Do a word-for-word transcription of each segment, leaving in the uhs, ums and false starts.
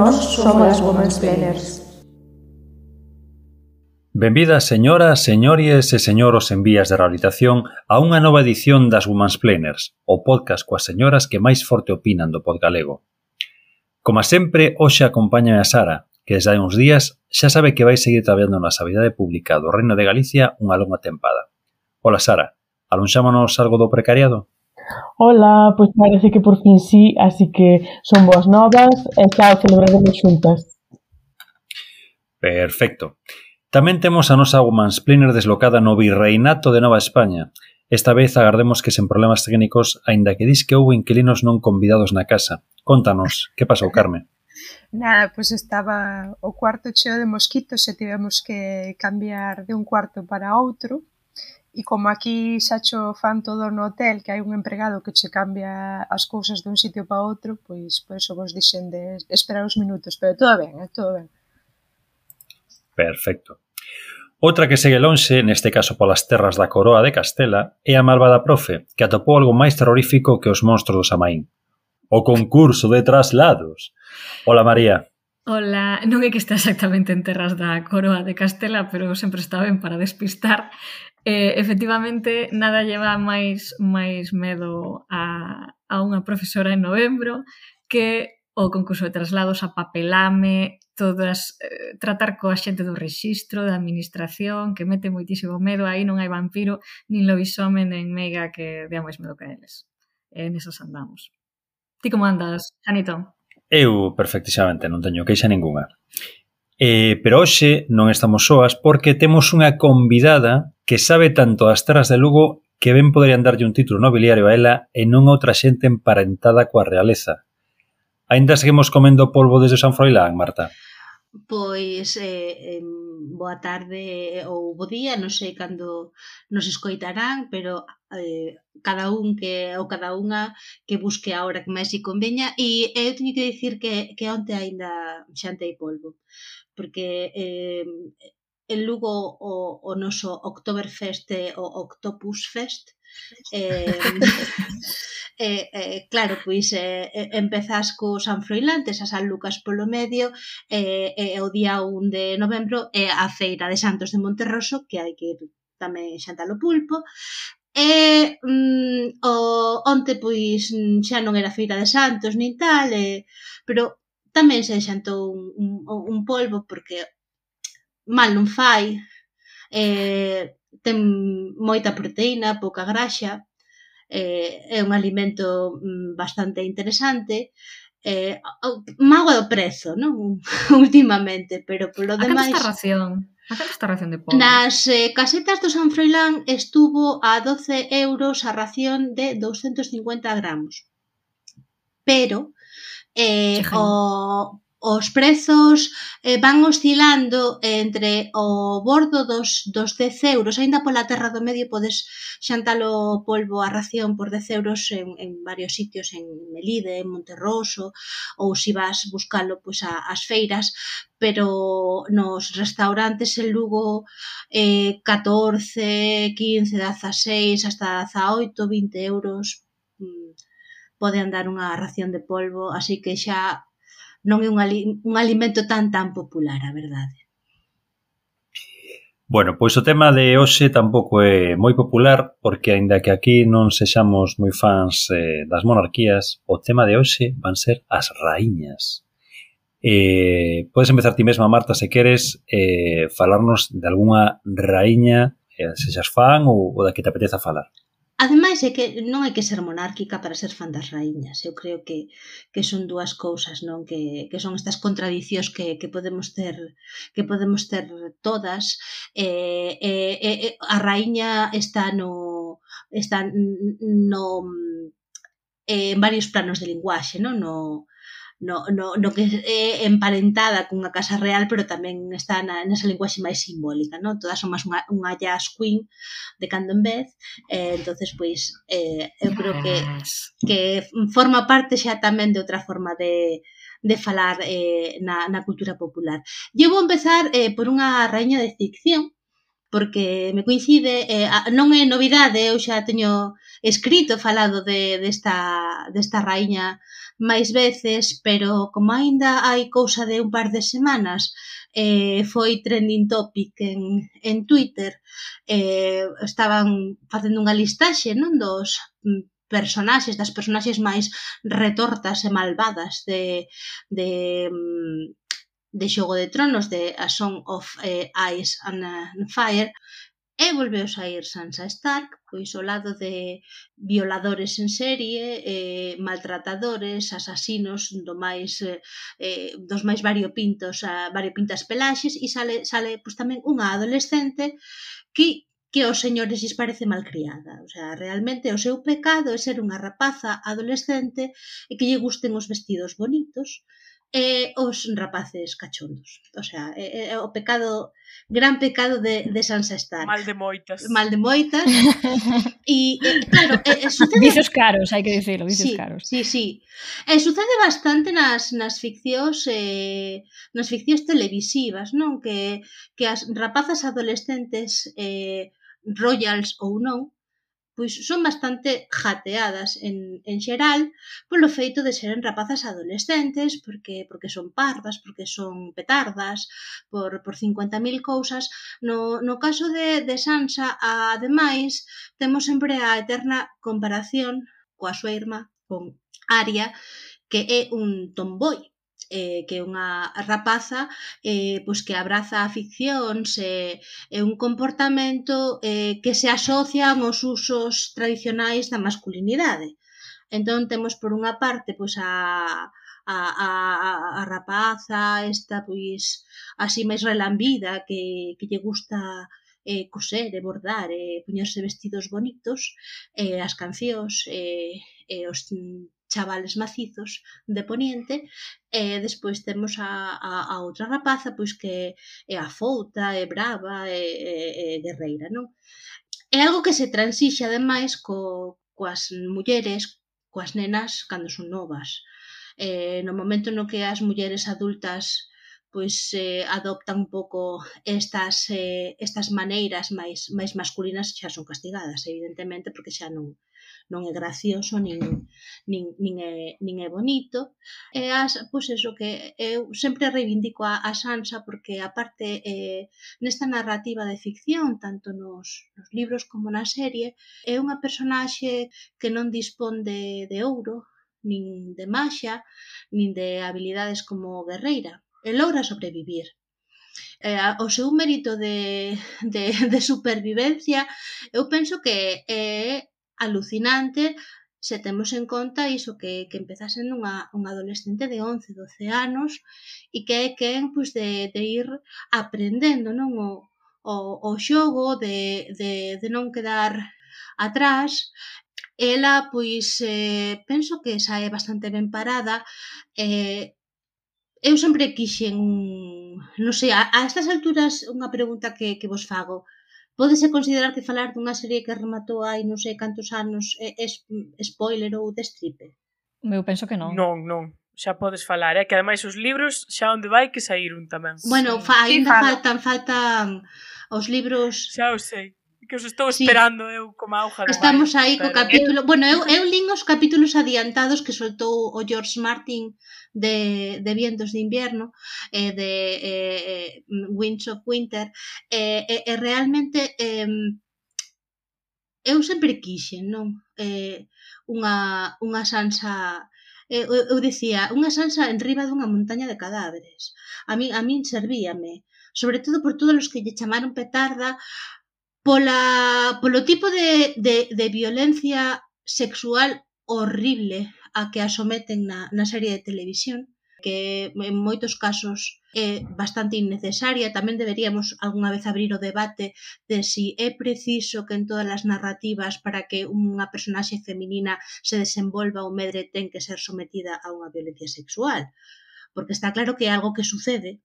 Nós somos as Womansplainers. Benvidas, señoras, señores e señoros en vías de rehabilitación a unha nova edición das Womansplainers, o podcast coas señoras que máis forte opinan do pod galego. Como sempre, hoxe acompáñame a Sara, que desde hai uns días xa sabe que vai seguir traballando na Sanidade Pública do Reino de Galicia unha longa tempada. Ola, Sara, alonxámonos algo do precariado? Ola, pois parece que por fin sí, así que son boas novas e xa o celebraremos xuntas. Perfecto. Tamén temos a nosa Womansplainer deslocada no Virreinato de Nova España. Esta vez agardemos que sen problemas técnicos, aínda que dis que houbo inquilinos non convidados na casa. Contanos, que pasou, Carme? Nada, pois estaba o cuarto cheo de mosquitos e tivemos que cambiar de un cuarto para outro. E como aquí xa cho fan todo no hotel, que hai un empregado que che cambia as cousas dun sitio para outro, pois por eso vos dixen de esperar uns minutos, pero todo ben, eh, todo ben. Perfecto. Outra que segue lonxe, neste caso polas terras da Coroa de Castela, é a malvada profe, que atopou algo máis terrorífico que os monstros do Samaín. O concurso de traslados. Ola, María. Ola, non é que está exactamente en terras da Coroa de Castela, pero sempre está ben para despistar. Eh, efectivamente, nada lleva máis máis medo a, a unha profesora en novembro que o concurso de traslados, a papelame, todas, eh, tratar coa xente do rexistro, da administración, que mete moitísimo medo, aí non hai vampiro, nin lobisome, nin meiga que dea máis medo que a eles. E nesas andamos. Ti como andas, Janito? Eu, perfectísimamente, non teño queixa ninguna. Eh, pero hoxe non estamos soas porque temos unha convidada que sabe tanto das terras de Lugo que ben poderían darlle un título nobiliario a ela e non a outra xente emparentada coa realeza. Ainda seguimos comendo polvo desde San Froilán, Marta? Pois, eh, eh, boa tarde ou bo día, non sei cando nos escoitarán, pero eh, cada un que ou cada unha que busque a hora que máis se conveña. E eu teño que dicir que, que onte aínda xantei polvo, porque eh, en Lugo o, o noso Oktoberfest é o Octopus Fest. Eh, eh, eh, claro, pois eh, empezas co San Froilán, tes a San Lucas polo medio, e eh, eh, o día un de novembro é a feira de Santos de Monterroso, que hai que ir tamén xantar o pulpo. E mm, o, onte pois xa non era feira de Santos nin tal, e, pero tamén se xantou un, un, un polvo porque mal non fai, eh, ten moita proteína, pouca graxa, eh, é un alimento bastante interesante, eh, mágoa do prezo, non? Últimamente, pero polo demais... A canto está a ración? A canto está a ración de polvo? Nas eh, casetas do San Froilán estuvo a doce euros a ración de douscentos cincuenta gramos. Pero eh, o... os prezos eh, van oscilando entre o bordo dos, dos dez euros, aínda pola terra do medio podes xantalo polvo a ración por dez euros en, en varios sitios, en Melide, en Monterroso, ou se vas buscalo pois, a, as feiras, pero nos restaurantes en Lugo eh, catorce, quince, dezaseis, hasta dezaoito, vinte euros mm, pode andar unha ración de polvo, así que xa non é un, ali, un alimento tan tan popular, a verdade. Bueno, pois o tema de hoxe tampouco é moi popular, porque aínda que aquí non sexamos moi fans eh, das monarquías, o tema de hoxe van ser as raíñas. Eh, podes empezar ti mesma, Marta, se queres, eh, falarnos de algunha raíña, eh, se xas fan ou, ou da que te apeteza falar. Ademais, é que non hai que ser monárquica para ser fan das raíñas. Eu creo que, que son dúas cousas, non? Que, que son estas contradicións que, que podemos ter que podemos ter todas. Eh, eh, eh, a raíña está no está no eh, en varios planos de linguaxe, non? No No, no, no que é emparentada cunha casa real, pero tamén está na, nesa linguaxe máis simbólica, non? Todas son máis unha, unha jazz queen de cando en vez, eh, entonces pois eh, eu creo que, que forma parte xa tamén de outra forma de, de falar eh, na, na cultura popular. Eu vou empezar eh, por unha raíña de ficción, porque me coincide, eh, non é novidade, eu xa teño escrito, falado de, desta, desta raíña máis veces, pero como aínda hai cousa de un par de semanas, eh, foi trending topic en, en Twitter, eh, estaban facendo unha listaxe, non, dos personaxes, das personaxes máis retortas e malvadas de, de, de Xogo de Tronos, de A Song of eh, Ice and uh, Fire, e volveu sair Sansa Stark, pois ao lado de violadores en serie, eh, maltratadores, asasinos do máis eh, dos máis variopintos, a variopintas pelaxes, e sale sale pois tamén unha adolescente que que aos señores lles parece malcriada. O sea, realmente o seu pecado é ser unha rapaza adolescente e que lle gusten os vestidos bonitos e os rapaces cachondos. O sea, é, é o pecado, gran pecado de, de Sansa Stark. Mal de moitas. Mal de moitas. E, e claro, e, e sucede... Vicios caros, hai que dicirlo, vicios sí, caros. Sí, sí. E sucede bastante nas, nas ficcións eh, nas ficcións televisivas, non? Que, que as rapazas adolescentes eh, royals ou non, pois son bastante jateadas en, en xeral polo feito de seren rapazas adolescentes, porque porque son pardas, porque son petardas, por, por cincuenta mil cousas. No, no caso de, de Sansa, ademais, temos sempre a eterna comparación coa súa irmá, con Arya, que é un tomboy, eh, que é unha rapaza eh, pois que abraza aficións e eh, un comportamento eh, que se asocian aos usos tradicionais da masculinidade. Entón temos por unha parte pois a, a, a, a rapaza esta pois así máis relambida que, que lle gusta eh, coser e bordar e poñerse vestidos bonitos, eh, as cancións e eh, eh, os chavales macizos de Poniente, e despois temos a, a, a outra rapaza pois que é afouta, é brava, é, é, é guerreira, non? É algo que se transixe ademais co, coas mulleres, coas nenas cando son novas. Eh, no momento no que as mulleres adultas pois eh, adoptan un pouco estas, eh, estas maneiras máis, máis masculinas, xa son castigadas, evidentemente, porque xa non non é gracioso, nin, nin, nin, é, nin é bonito. E as, pois eso, que eu sempre reivindico a, a Sansa porque, aparte, eh, nesta narrativa de ficción, tanto nos, nos libros como na serie, é unha personaxe que non dispón de, de ouro, nin de maxia, nin de habilidades como guerreira. E logra sobrevivir. Eh, o seu mérito de, de, de supervivencia, eu penso que é alucinante se temos en conta iso que, que empeza sendo unha, unha adolescente de once, doce anos e que é quen pois, de, de ir aprendendo, non, o, o, o xogo, de, de, de non quedar atrás. Ela, pois, eh, penso que sae bastante ben parada. Eh, eu sempre quixen un... Non sei, a, a estas alturas unha pregunta que, que vos fago. Pódese considerar que falar dunha serie que rematou hai non sei cantos anos é, é spoiler ou destripe? Eu penso que non. Non, non. Xa podes falar, é eh? Que ademais os libros xa onde vai que saíron tamén. Bueno, fa, ainda sí, faltan, faltan os libros... Xa o sei. Que os estou esperando sí. Eu como auga de Estamos maio, aí co pero... capítulo... Bueno, eu, eu lín os capítulos adiantados que soltou o George Martin de, de Vientos de Invierno e eh, de eh, Winds of Winter e eh, eh, realmente eh, eu sempre quixen, non? Eh, unha, unha Sansa... Eh, eu, eu dicía, unha Sansa en riba dunha montaña de cadáveres. A min, a min servíame. Sobre todo por todos os que lle chamaron petarda pola, polo tipo de, de, de violencia sexual horrible a que a someten na, na serie de televisión, que en moitos casos é bastante innecesaria. Tamén deberíamos algunha vez abrir o debate de si é preciso que en todas as narrativas para que unha personaxe feminina se desenvolva ou medre ten que ser sometida a unha violencia sexual. Porque está claro que é algo que sucede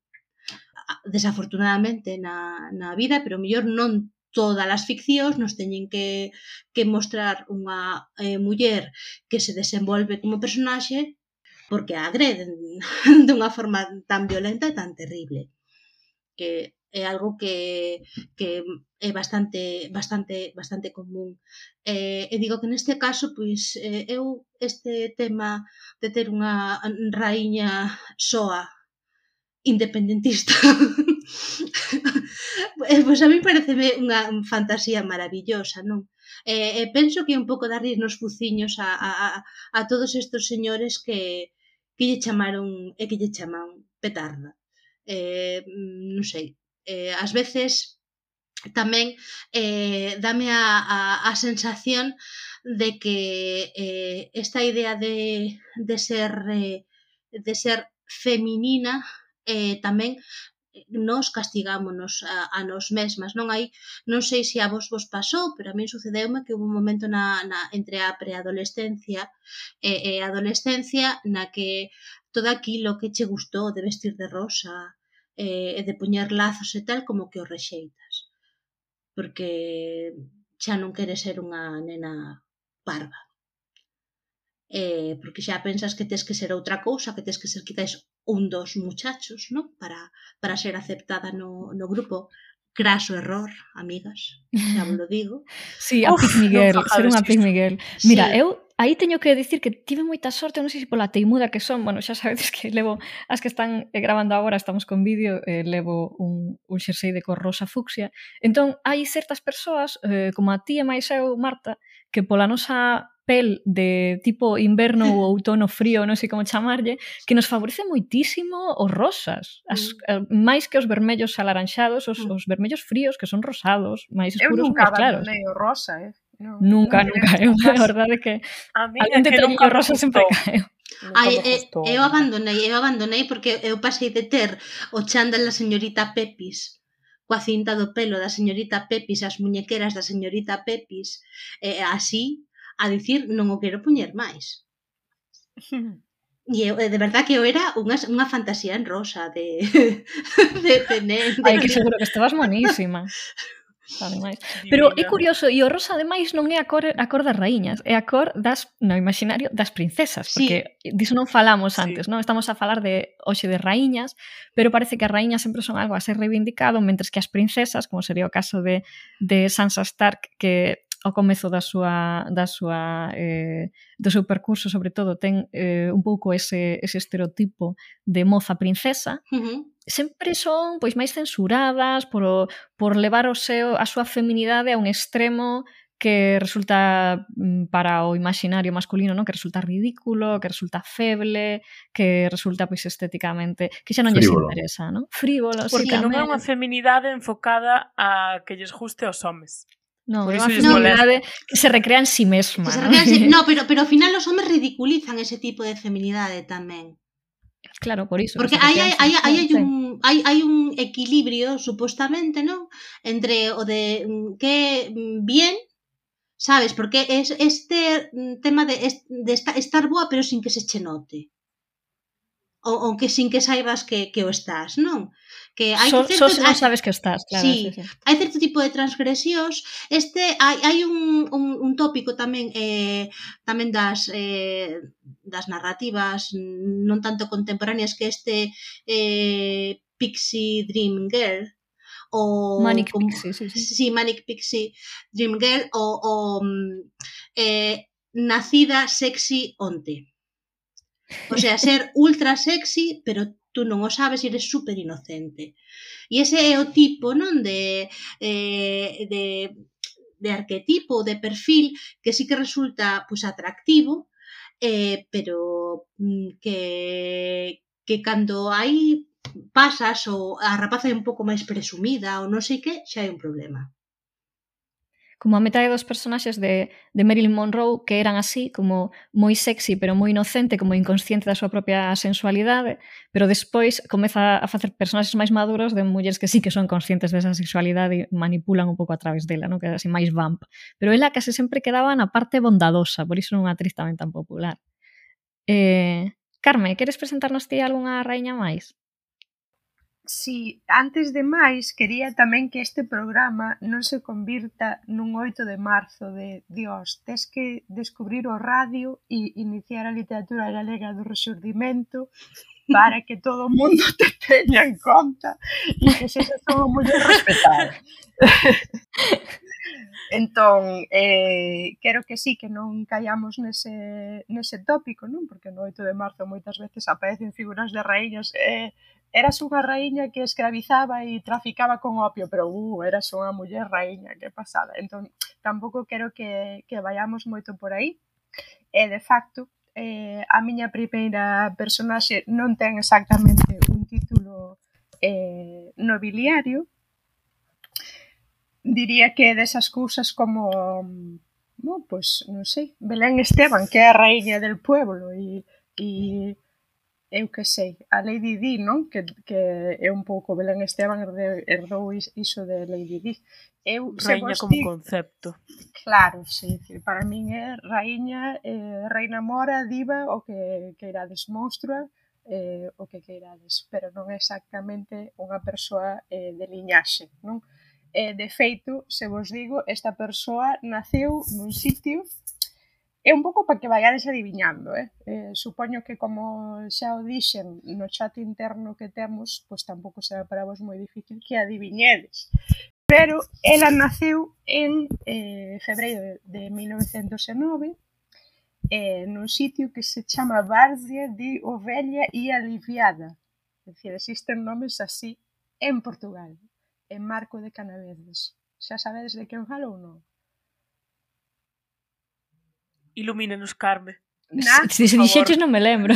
desafortunadamente na, na vida, pero mellor non todas as ficcións nos teñen que, que mostrar unha eh, muller que se desenvolve como personaxe porque a agreden dunha forma tan violenta e tan terrible. Que é algo que, que é bastante bastante bastante común. Eh, e digo que neste caso, pois, eh, eu este tema de ter unha raíña soa independentista pois a mí pareceme unha fantasía maravillosa, non? E, e penso que é un pouco darlle nos fuciños a, a, a todos estes señores que, que lle chamaron e que lle chaman petarda. Eh, non sei, eh, ás veces tamén eh, dame a, a, a sensación de que eh, esta idea de, de ser eh, de ser feminina eh, tamén nos castigámonos a, a nos mesmas, non hai, non sei se a vos vos pasou, pero a min sucedeume que houve un momento na, na, entre a preadolescencia e, e a adolescencia na que todo aquilo que che gustou de vestir de rosa e, e de poñer lazos e tal, como que o rexeitas, porque xa non queres ser unha nena parva. Eh, porque xa pensas que tes que ser outra cousa, que tes que ser quizáis un dos muchachos, ¿no? Para, para ser aceptada no, no grupo. Craso error, amigas, xa vos lo digo. Sí, a Pick Miguel, ser unha Pick Miguel. Mira, Sí. eu aí teño que dicir que tive moita sorte, non sei se pola teimuda que son, bueno, xa sabedes que levo, as que están gravando agora, estamos con vídeo, eh, levo un, un xersei de cor rosa fucsia, entón hai certas persoas, eh, como a ti e máis eu, Marta, que pola nosa pel de tipo inverno ou outono frío, non sei como chamarlle, que nos favorece moitísimo os rosas, as, mm. máis que os vermellos alaranxados, os, mm. os vermellos fríos, que son rosados, máis escuros, eu nunca máis claros. abandonei o rosa, eh? No, nunca, nunca, eu, a verdade que algún detalliño rosa sempre caeu. Ai, eu, eu abandonei, eu abandonei porque eu pasei de ter o chándal da señorita Pepis, coa cinta do pelo da señorita Pepis, as muñequeras da señorita Pepis, e así, a dicir, non o quero poñer máis. E eu, de verdad que eu era unha, unha fantasía en rosa de de, de, de, de Ai, que seguro que estabas monísima. Ademais. Pero é curioso, e o rosa ademais non é a cor, a cor das raíñas, é a cor das, no imaginario das princesas, porque sí. diso non falamos antes, sí. non? Estamos a falar de hoxe de raíñas, pero parece que as raíñas sempre son algo a ser reivindicado, mentres que as princesas, como sería o caso de, de Sansa Stark, que ao comezo da súa, da súa eh, do seu percurso, sobre todo, ten eh, un pouco ese, ese estereotipo de moza princesa, uh-huh. sempre son pois máis censuradas por, o, por levar o seu, a súa feminidade a un extremo que resulta para o imaginario masculino, non? Que resulta ridículo, que resulta feble, que resulta pois estéticamente, que xa non lles interesa, non? Frívolo, porque sí, non é unha feminidade enfocada a que lles guste aos homes. Non, é unha feminidade que se recrea en si sí mesma. Que se ¿no? recrea en sí, no, pero, pero ao final os homes ridiculizan ese tipo de feminidade tamén. Claro, por iso. Porque hai, hai, hai, hai, un, hai, hai un equilibrio, supostamente, non? Entre o de que bien, sabes? Porque es este tema de, de estar boa pero sin que se che note. O, o que sin que saibas que, que o estás, non? Que hai so, certo, so se non sabes que estás, claro. Sí, sí, sí. Hai certo tipo de transgresións. Este, hai, hai un, un, un tópico tamén eh, tamén das eh, das narrativas non tanto contemporáneas que este eh, Pixie Dream Girl o Manic como, Pixie, sí, sí. sí, Manic Pixie Dream Girl o, o eh, nacida sexy onte. O sea, ser ultra sexy, pero tú non o sabes e eres super inocente. E ese é o tipo, non, de, eh, de, de arquetipo, de perfil, que sí que resulta pues, atractivo, eh, pero que, que cando hai pasas ou a rapaza é un pouco máis presumida ou non sei que, xa hai un problema. Como a metade dos personaxes de, de Marilyn Monroe que eran así, como moi sexy pero moi inocente, como inconsciente da súa propia sensualidade, pero despois comeza a facer personaxes máis maduros de mulleres que sí que son conscientes desa sexualidade e manipulan un pouco a través dela, non? Que é así máis vamp. Pero ela case sempre quedaba na parte bondadosa, por iso non é unha actriz tamén tan popular. Eh, Carme, queres presentarnos ti algunha raíña máis? Si, antes de máis, quería tamén que este programa non se convirta nun oito de marzo de Dios, tes que descubrir o radio e iniciar a literatura galega do Rexurdimento para que todo o mundo te teña en conta e que se se son moi respetadas. Entón, eh, quero que sí, que non caíamos nese, nese tópico, non? Porque no oito de marzo moitas veces aparecen figuras de raíñas. Eh, eras unha raíña que escravizaba e traficaba con opio, pero uh, eras unha muller raíña, que pasada. Entón, tampouco quero que, que vayamos moito por aí. E, de facto, eh, a miña primeira personaxe non ten exactamente un título eh, nobiliario. Diría que desas cousas como, no, pues, non sei, Belén Esteban, que é a raíña del pueblo, e, e eu que sei, a Lady Di, non? Que, que é un pouco Belén Esteban herdou, herdou iso de Lady Di. Eu, Raíña como digo, concepto. Claro, sí, para min é raíña, eh, reina mora, diva, o que queirades, monstrua, eh, o que queirades, pero non é exactamente unha persoa eh, de liñaxe, non? Eh, de feito, se vos digo, esta persoa naceu nun sitio, é un pouco para que vayades adiviñando, eh? eh supoño que como xa o dixen no chat interno que temos, pois tampouco será para vos moi difícil que adiviñedes. Pero ela naceu en eh, febreiro de mil novecentos e nove, eh, nun sitio que se chama Várzea de Ovella e Aliviada. É dicir, existen nomes así en Portugal. En Marco de Canaveses. Xa sabedes de quen falo ou non? Ilumínanos, Carme. Na, se se dixeches non me lembro.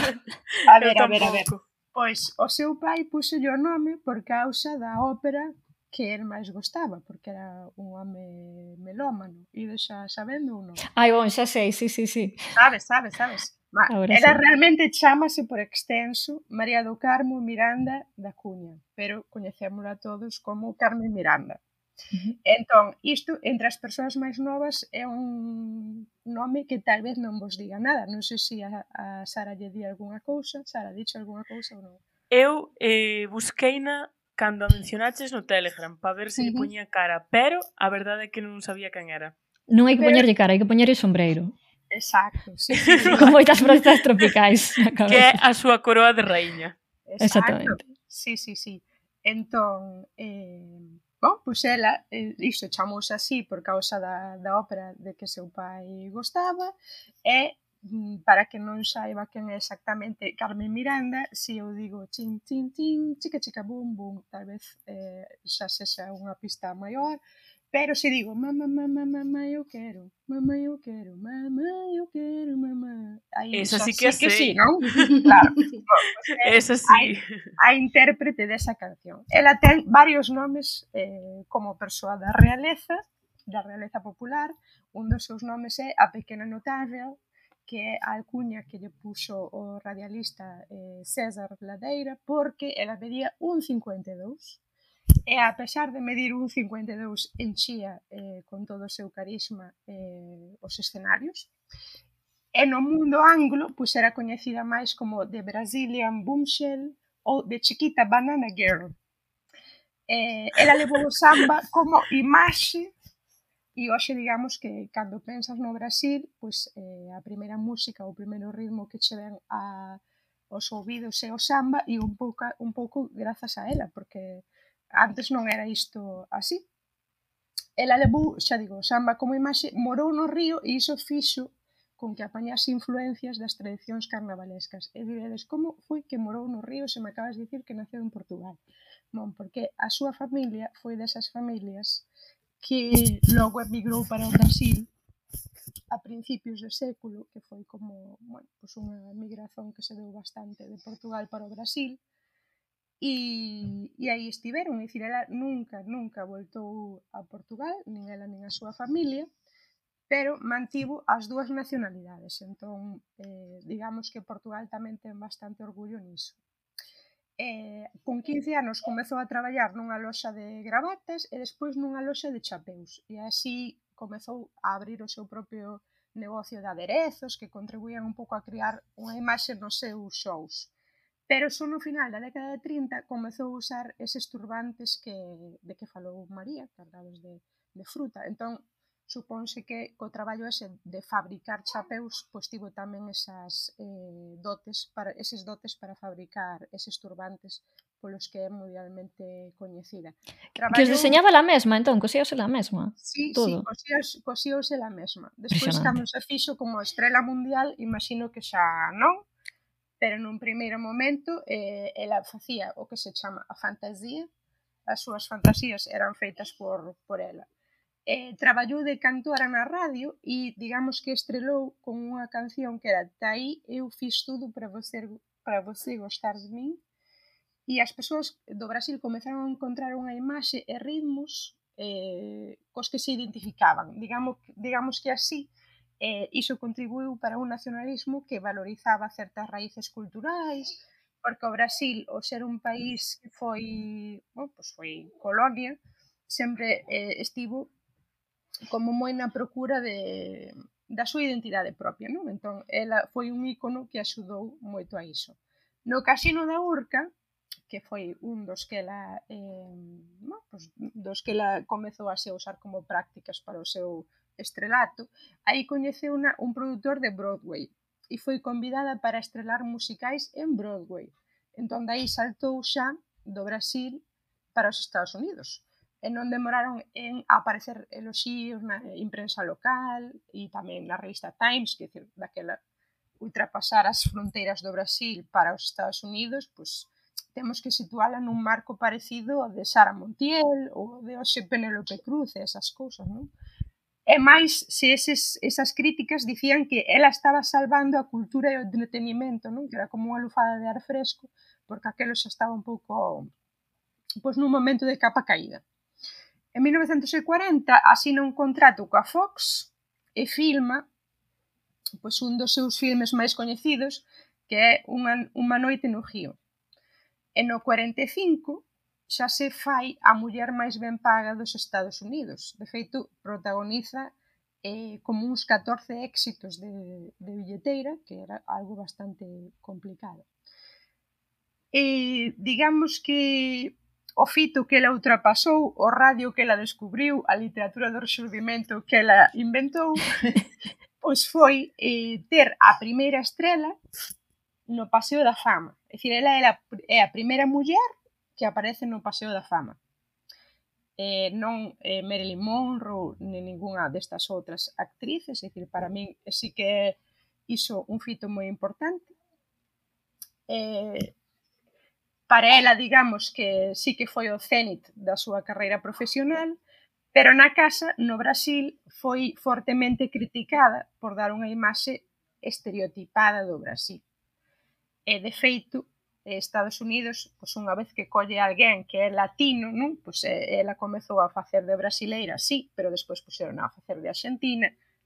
A ver, a ver, a ver. Pois o seu pai puxo o nome por causa da ópera que el máis gostaba, porque era un home melómano. Ides xa sabendo ou non? Ai, bon, xa sei, sí, sí, sí. Sabes, sabes, sabes. Ma, ela sí. Realmente chámase por extenso María do Carmo Miranda da Cuña, pero coñecémola todos como Carmen Miranda. Uh-huh. Entón, isto, entre as persoas máis novas, é un nome que tal vez non vos diga nada. Non sei se a, a Sara lle di algunha cousa. Sara, dicho algunha cousa ou non? Eu eh, busqueina cando a mencionaches no Telegram para ver se uh-huh. lle poñía cara, pero a verdade é que non sabía quen era. Non hai que poñerlle cara, hai que poñerlle sombreiro. Exacto, sí, sí. Con moitas frutas tropicais na cabeza. Que é a súa coroa de raíña. Exacto. Exactamente. Sí, sí, sí. Entón, eh, bom, pois ela, eh, isto chamouse así por causa da, da ópera de que seu pai gostaba, e para que non saiba quen é exactamente Carmen Miranda, se eu digo chin, chin, chin, chica, chica, bum, bum, tal vez eh, xa sexa unha pista maior. Pero se digo, mamá, mamá, mamá, eu quero, mamá, eu quero, mamá, eu quero, mamá. Aí, esa sí que, sí que sí, non? Claro. Bueno, pues, eh, esa sí. A, a intérprete desa canción. Ela ten varios nomes eh, como persoa da realeza, da realeza popular. Un dos seus nomes é a Pequena Notável, que é a alcuña que lle puxo o radialista eh, César Ladeira, porque ela medía un cincuenta e dous. E a pesar de medir un cincuenta e dous, enchía eh, con todo o seu carisma eh, os escenarios. E no mundo anglo, pois era coñecida máis como The Brazilian Bombshell ou The Chiquita Banana Girl. Eh, ela levou o samba como imaxe, e hoxe digamos que cando pensas no Brasil, pois eh, a primeira música, o primeiro ritmo que che ven a, os ouvidos é o samba, e un pouco, un pouco grazas a ela, porque antes non era isto así. Ela levou, xa digo, o samba como imaxe, morou no Río, e iso fixo con que apañase influencias das tradicións carnavalescas. E diredes, como foi que morou no Río se me acabas de dicir que naceu en Portugal? Bon, porque a súa familia foi desas familias que logo emigrou para o Brasil a principios do século, que foi como, bueno, pues unha migración que se deu bastante de Portugal para o Brasil. E, e aí estiveron, é dicir, ela nunca, nunca voltou a Portugal, nin ela nin a súa familia, pero mantivo as dúas nacionalidades. Entón, eh, digamos que Portugal tamén ten bastante orgullo niso. Eh, con quince anos comezou a traballar nunha loxa de gravatas e despois nunha loxa de chapeus. E así comezou a abrir o seu propio negocio de aderezos que contribuían un pouco a crear unha imaxe nos seus shows. Pero só no final da década de trinta comezou a usar eses turbantes que, de que falou María, cargados de, de fruta. Entón, supónse que co traballo ese de fabricar chapeus, pois tivo tamén esas eh, dotes para, eses dotes para fabricar eses turbantes polos que é mundialmente coñecida. Traballou... Que os deseñaba la mesma, entón, cosíose la mesma? Sí, todo. sí, cosíose la mesma. Despois, cando se fixo como estrela mundial, imagino que xa non, pero nun primeiro momento eh, ela facía o que se chama a fantasía, as súas fantasías eran feitas por, por ela. Eh, traballou de cantora na radio e digamos que estrelou con unha canción que era Taí eu fiz tudo para você, para você gostar de min, e as persoas do Brasil comezaron a encontrar unha imaxe e ritmos eh, cos que se identificaban, digamos, digamos que así eh, iso contribuiu para un nacionalismo que valorizaba certas raíces culturais, porque o Brasil, ao ser un país que foi, bueno, pues foi colonia, sempre eh, estivo como moi na procura de, da súa identidade propia, non? Entón, ela foi un ícono que axudou moito a iso. No Casino da Urca, que foi un dos que ela, eh, no, pues, dos que ela comezou a se usar como prácticas para o seu estrelato, aí coñeceu una, un produtor de Broadway e foi convidada para estrelar musicais en Broadway. Entón, daí saltou xa do Brasil para os Estados Unidos. E non demoraron en aparecer eloxíos na imprensa local e tamén na revista Times, que decir, daquela ultrapasar as fronteiras do Brasil para os Estados Unidos, pois temos que situala nun marco parecido ao de Sara Montiel ou de hoxe Penélope Cruz e esas cousas, non? E máis, se eses, esas críticas dicían que ela estaba salvando a cultura e o entretenimento, non? Que era como unha lufada de ar fresco, porque aquelo xa estaba un pouco, pois nun momento de capa caída. En mil novecentos e cuarenta asina un contrato coa Fox e filma pois, un dos seus filmes máis coñecidos, que é Unha, unha noite no Río. E no cuarenta e cinco xa se fai a muller máis ben paga dos Estados Unidos. De feito, protagoniza eh, como uns catorce éxitos de, de billeteira, que era algo bastante complicado. E digamos que o fito que ela ultrapasou, o radio que ela descubriu, a literatura do rexurdimento que ela inventou, pois foi eh, ter a primeira estrela no Paseo da Fama. É dicir, ela é a primeira muller que aparece no Paseo da Fama. Eh, non eh, Marilyn Monroe ni ningunha destas outras actrices, é dicir, para min sí que é iso un fito moi importante. Eh, para ela, digamos que sí que foi o cénit da súa carreira profesional, pero na casa, no Brasil, foi fortemente criticada por dar unha imaxe estereotipada do Brasil. E, de feito, Estados Unidos, pois unha vez que colle alguén que é latino, non? Pois ela comezou a facer de brasileira, sí, pero despois puseron a facer de argentina,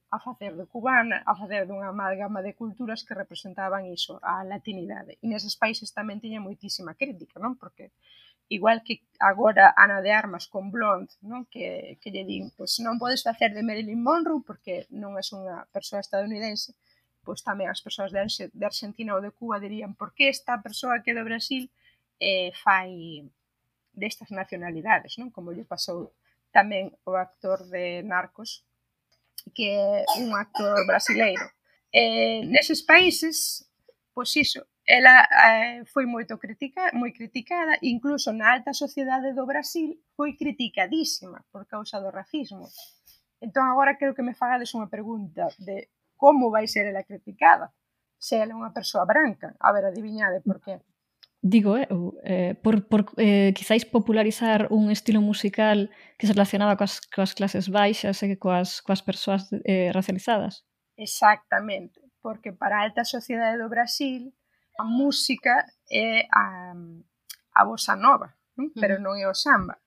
a facer de cubana, a facer dunha amálgama de culturas que representaban iso, a latinidade. E neses países tamén tiña moitísima crítica, non? Porque igual que agora Ana de Armas con Blonde, non? Que, que lle din, pois non podes facer de Marilyn Monroe porque non és unha persoa estadounidense, pois tamén as persoas de Argentina ou de Cuba dirían por que esta persoa que é do Brasil eh, fai destas nacionalidades, non? Como lle pasou tamén o actor de Narcos, que é un actor brasileiro. Eh, neses países, pois iso, ela eh, foi moito critica, moi criticada, incluso na alta sociedade do Brasil foi criticadísima por causa do racismo. Entón agora quero que me fagades unha pregunta de como vai ser ela criticada, se ela é unha persoa branca. A ver, adiviñade por qué. Digo, eu, eh, por, por eh, quizáis popularizar un estilo musical que se relacionaba coas, coas clases baixas e coas, coas persoas eh, racializadas. Exactamente, porque para a alta sociedade do Brasil a música é a, a bossa nova, non? Pero non é o samba.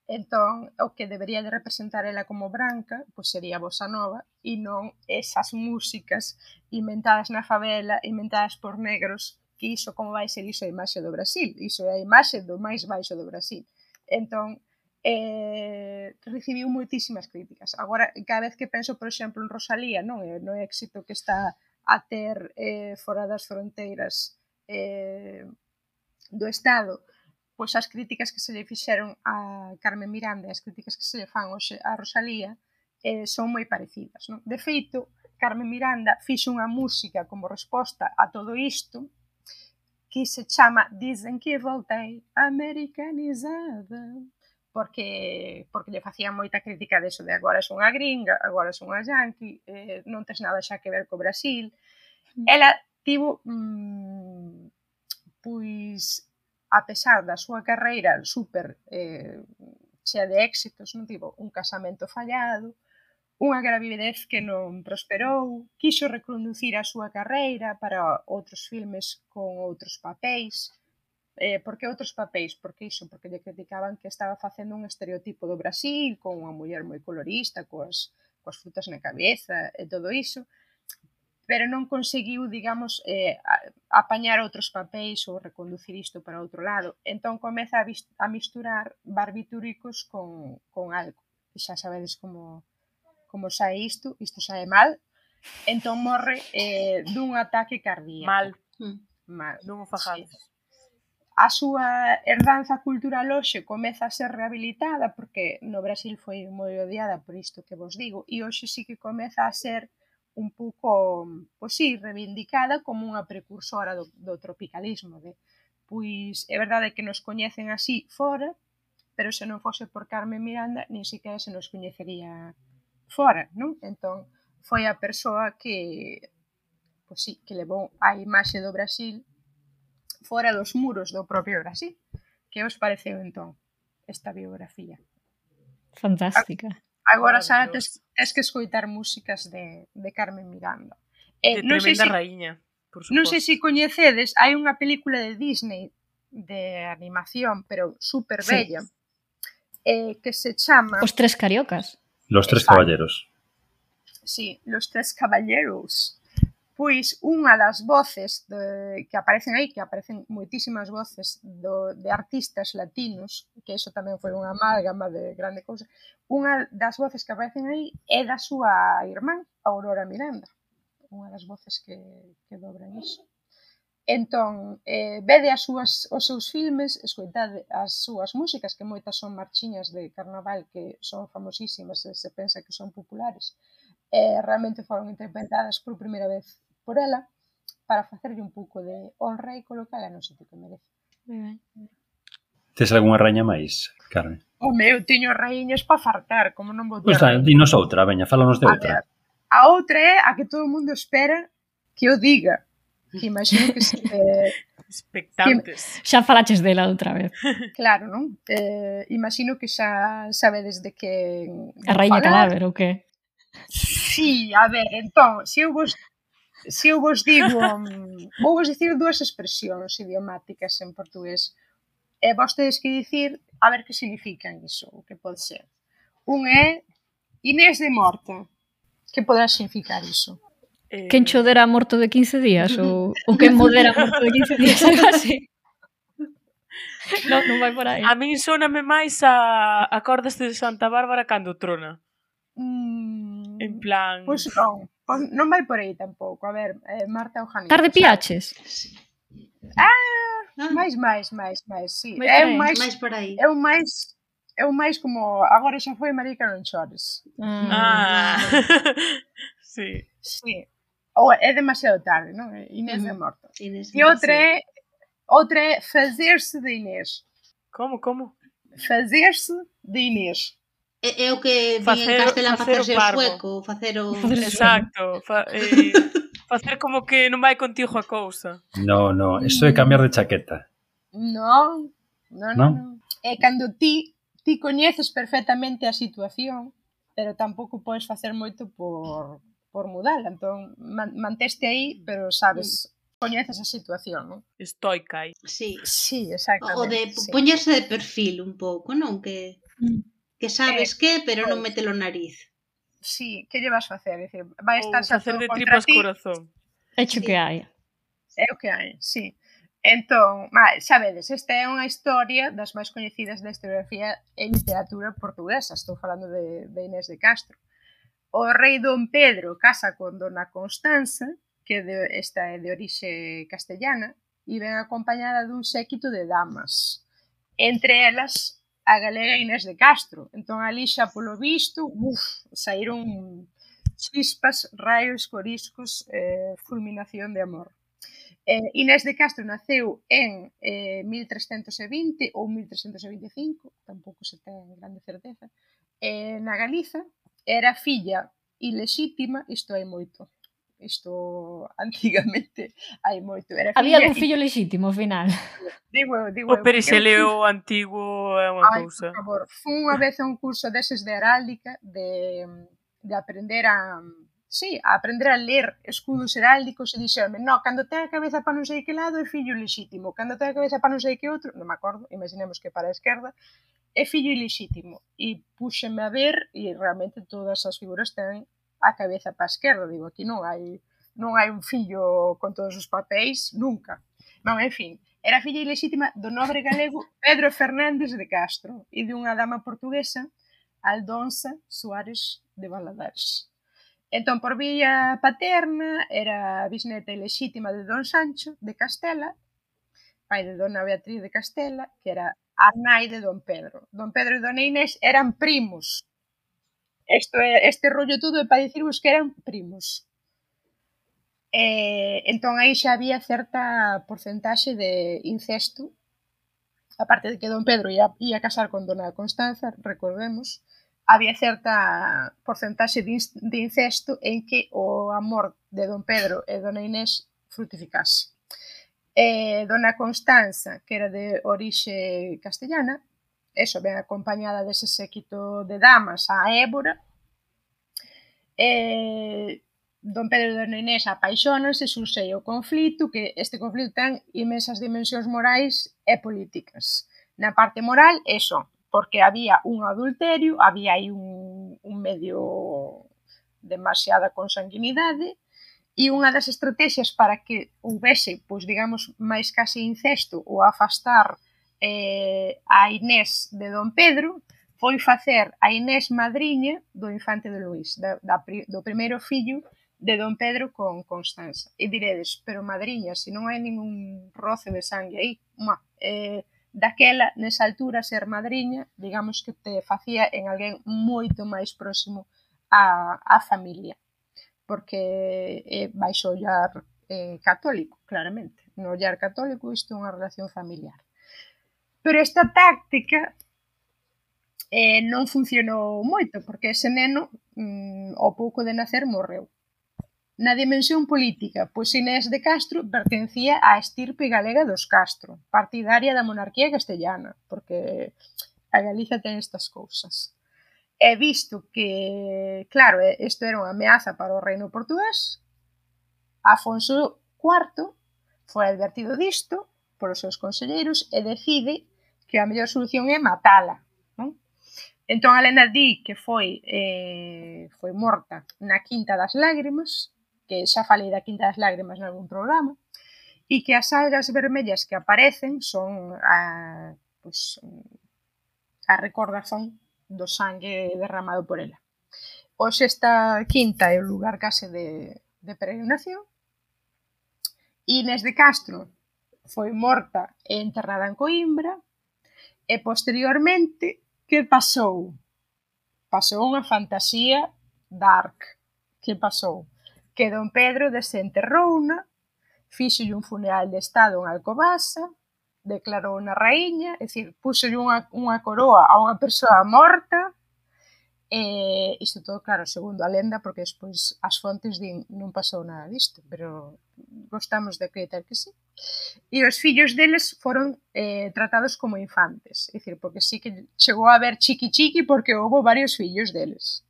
Entón, o que debería de representar ela como branca, pois sería a bossa nova e non esas músicas inventadas na favela, inventadas por negros, que iso como vai ser iso a imaxe do Brasil, iso é a imaxe do máis baixo do Brasil. Entón, eh, recibiu moitísimas críticas. Agora, cada vez que penso, por exemplo, en Rosalía, non é no éxito que está a ter eh, fora das fronteiras eh, do Estado, pois as críticas que se lle fixeron a Carmen Miranda e as críticas que se lle fan hoxe a Rosalía eh, son moi parecidas, non? De feito, Carmen Miranda fixo unha música como resposta a todo isto que se chama Dicen que voltei americanizada, porque porque lle facían moita crítica deso de agora son unha gringa, agora son unha yankee, eh, non tes nada xa que ver co Brasil. Ela tivo, mmm, pois, a pesar da súa carreira super eh, chea de éxitos, non tivo un casamento fallado, unha gravidez que non prosperou, quixo reconducir a súa carreira para outros filmes con outros papéis. Eh, por que outros papéis? Porque iso, porque lle criticaban que estaba facendo un estereotipo do Brasil, con unha muller moi colorista, coas, coas frutas na cabeza e todo iso, pero non conseguiu, digamos, eh, apañar outros papéis ou reconducir isto para outro lado. Entón comeza a, a misturar barbitúricos con, con algo. E xa sabedes como... como sae isto, isto sae mal, entón morre eh, dun ataque cardíaco. Mal. Mal. Non o fajades. Sí. A súa herdanza cultural hoxe comeza a ser rehabilitada porque no Brasil foi moi odiada por isto que vos digo e hoxe sí que comeza a ser un pouco, pois sí, reivindicada como unha precursora do, do tropicalismo. De, pois é verdade que nos coñecen así fora, pero se non fose por Carmen Miranda, nin siquiera se nos coñecería fora, non? Entón, foi a persoa que, pois sí, que levou a imaxe do Brasil fora dos muros do propio Brasil. Que os pareceu, entón, esta biografía? Fantástica. Agora xa tes, tes que escoitar músicas de, de Carmen Miranda. Eh, de tremenda si, raíña, por suposto. Non sei se coñecedes, hai unha película de Disney de animación, pero super bella, sí. eh, que se chama... Os Tres Cariocas. Los Tres Caballeros. Sí, Los Tres Caballeros. Pois unha das voces de, que aparecen aí, que aparecen moitísimas voces do, de artistas latinos, que iso tamén foi unha amálgama de grande cousa, unha das voces que aparecen aí é da súa irmán, Aurora Miranda, unha das voces que, que dobran iso. Entón, eh, vede as súas, os seus filmes, escoitade as súas músicas, que moitas son marchiñas de carnaval que son famosísimas e se pensa que son populares, e realmente foron interpretadas por primeira vez por ela para facerlle un pouco de honra e colocala no sitio que merece. Tes algunha raña máis, Carmen? Home, eu teño raíñas para fartar, como non vou ter. Pois tá, dinos outra, veña, fálanos de outra. A, a outra é a que todo o mundo espera que eu diga. Que imagino que se... Eh, expectantes. Que, xa falaches dela outra vez. Claro, non? Eh, imagino que xa sabedes de que... A raíña cadáver, ou que? Sí, a ver, entón, se eu vos se eu vos digo, vou vos dicir dúas expresións idiomáticas en portugués, e vos tedes que dicir a ver que significan iso, o que pode ser. Un é Inés de morta. Que poderá significar iso? Eh... Quen chodera morto de quince días? Ou, ou quen modera morto de quince días? Algo así. Non, non vai por aí. A min sóname máis a acordas de Santa Bárbara cando trona. Mm, en plan... Pois pues non, pues non vai por aí tampouco. A ver, eh, Marta Eugenio. Tarde piaches? Ah, máis, máis, máis, máis, sí. Máis é un máis, máis por aí. É un máis, é un máis como agora xa foi Marica non chores. Mm. Ah, sí. Sí. Ou é demasiado tarde, non? Inés mm. de morto. Inés e outra é, outra é fazer-se de Inés. Como, como? Fazer-se de Inés. É, é o que facer, en castelán facerse o, o sueco, facer o... Exacto, fa, eh, facer como que non vai contigo a cousa. No, no, eso é cambiar de chaqueta. Non, non, non. No. É cando ti, ti coñeces perfectamente a situación, pero tampouco podes facer moito por, por mudala. Entón, man, manteste aí, pero sabes, coñeces a situación, non? Estoica aí. Sí. Sí, exactamente. O de sí. poñerse de perfil un pouco, non? Que... Mm. Que sabes eh, que, pero non mete o nariz. Sí, que lle vas facer? É dicir, vai estar xa facer de tripas corazón. Hecho sí. que hai. É o que hai, sí. Entón, xa vedes, esta é unha historia das máis coñecidas da historiografía e literatura portuguesa. Estou falando de, de Inés de Castro. O rei Dom Pedro casa con dona Constanza, que de, esta é de orixe castellana, e ven acompañada dun séquito de damas. Entre elas... a galega Inés de Castro. Entón, ali xa polo visto, uf, saíron chispas, raios, coriscos, eh, fulminación de amor. Eh, Inés de Castro naceu en eh, mil trescentos e vinte ou mil trescentos e vinte e cinco, tampouco se ten grande certeza, eh, na Galiza. Era filla ilexítima, isto hai moito, isto antigamente hai moito. Era Había algún fillo lexítimo, ao final. Digo, digo, o periseleo antigo é unha Ai, cousa. por favor, fun unha vez a un curso deses de heráldica, de, de aprender a... Sí, a aprender a ler escudos heráldicos e dixerme, no, cando ten a cabeza para non sei que lado é fillo ilexítimo, cando ten a cabeza para non sei que outro, non me acordo, imaginemos que para a esquerda, é fillo ilexítimo. E puxeme a ver e realmente todas as figuras ten a cabeza para a esquerda. Digo, aquí non hai non hai un fillo con todos os papéis, nunca. Non, en fin, era filla ilexítima do nobre galego Pedro Fernández de Castro e de unha dama portuguesa, Aldonza Suárez de Valadares. Entón, por vía paterna, era bisneta ilexítima de Don Sancho de Castela, pai de Dona Beatriz de Castela, que era a nai de Don Pedro. Don Pedro e Dona Inés eran primos. Isto é, este rollo todo é para dicirvos que eran primos. E, entón, aí xa había certa porcentaxe de incesto, aparte de que Don Pedro ia, ia casar con Dona Constanza, recordemos, había certa porcentaxe de incesto en que o amor de Don Pedro e Dona Inés frutificase. E Dona Constanza, que era de orixe castellana, eso, ben acompañada dese séquito de damas a Évora, e Don Pedro e Dona Inés apaixónanse, surxe o conflito, que este conflito ten inmensas dimensións morais e políticas. Na parte moral, eso, porque había un adulterio, había aí un, un medio demasiada consanguinidade, e unha das estrategias para que houvese, pois digamos, máis case incesto ou afastar eh, a Inés de Don Pedro, foi facer a Inés madriña do infante de Luís, da, da, do primeiro fillo de Don Pedro con Constanza. E diredes, pero madriña, se non hai ningún roce de sangue aí, má, eh, daquela, nesa altura, ser madriña, digamos que te facía en alguén moito máis próximo á, á familia, porque é baixo o ollar eh, católico, claramente. No ollar católico isto é unha relación familiar. Pero esta táctica eh, non funcionou moito, porque ese neno, mm, ao pouco de nacer, morreu. Na dimensión política, pois Inés de Castro pertencía á estirpe galega dos Castro, partidaria da monarquía castellana, porque a Galiza ten estas cousas. E visto que, claro, isto era unha ameaza para o reino portugués, Afonso cuarto foi advertido disto polos seus conselleiros e decide que a mellor solución é matala. Non? Entón, a lenda di que foi, eh, foi morta na Quinta das Lágrimas, que xa falei da Quinta das Lágrimas en algún programa, e que as algas vermellas que aparecen son a, pues, a recordación do sangue derramado por ela. Hoxe esta quinta é o lugar case de, de peregrinación. Inés de Castro foi morta e enterrada en Coimbra, e posteriormente, que pasou? Pasou unha fantasía dark. Que pasou? Que Don Pedro desenterrouna, fíxolle un funeral de estado en Alcobaza, declarou na raíña, é dicir, puxolle unha, unha coroa a unha persoa morta, e isto todo, claro, segundo a lenda, porque despois as fontes din non pasou nada disto, pero gostamos de acreditar que sí. E os fillos deles foron eh, tratados como infantes, é dicir, porque sí que chegou a haber chiqui-chiqui porque houve varios fillos deles.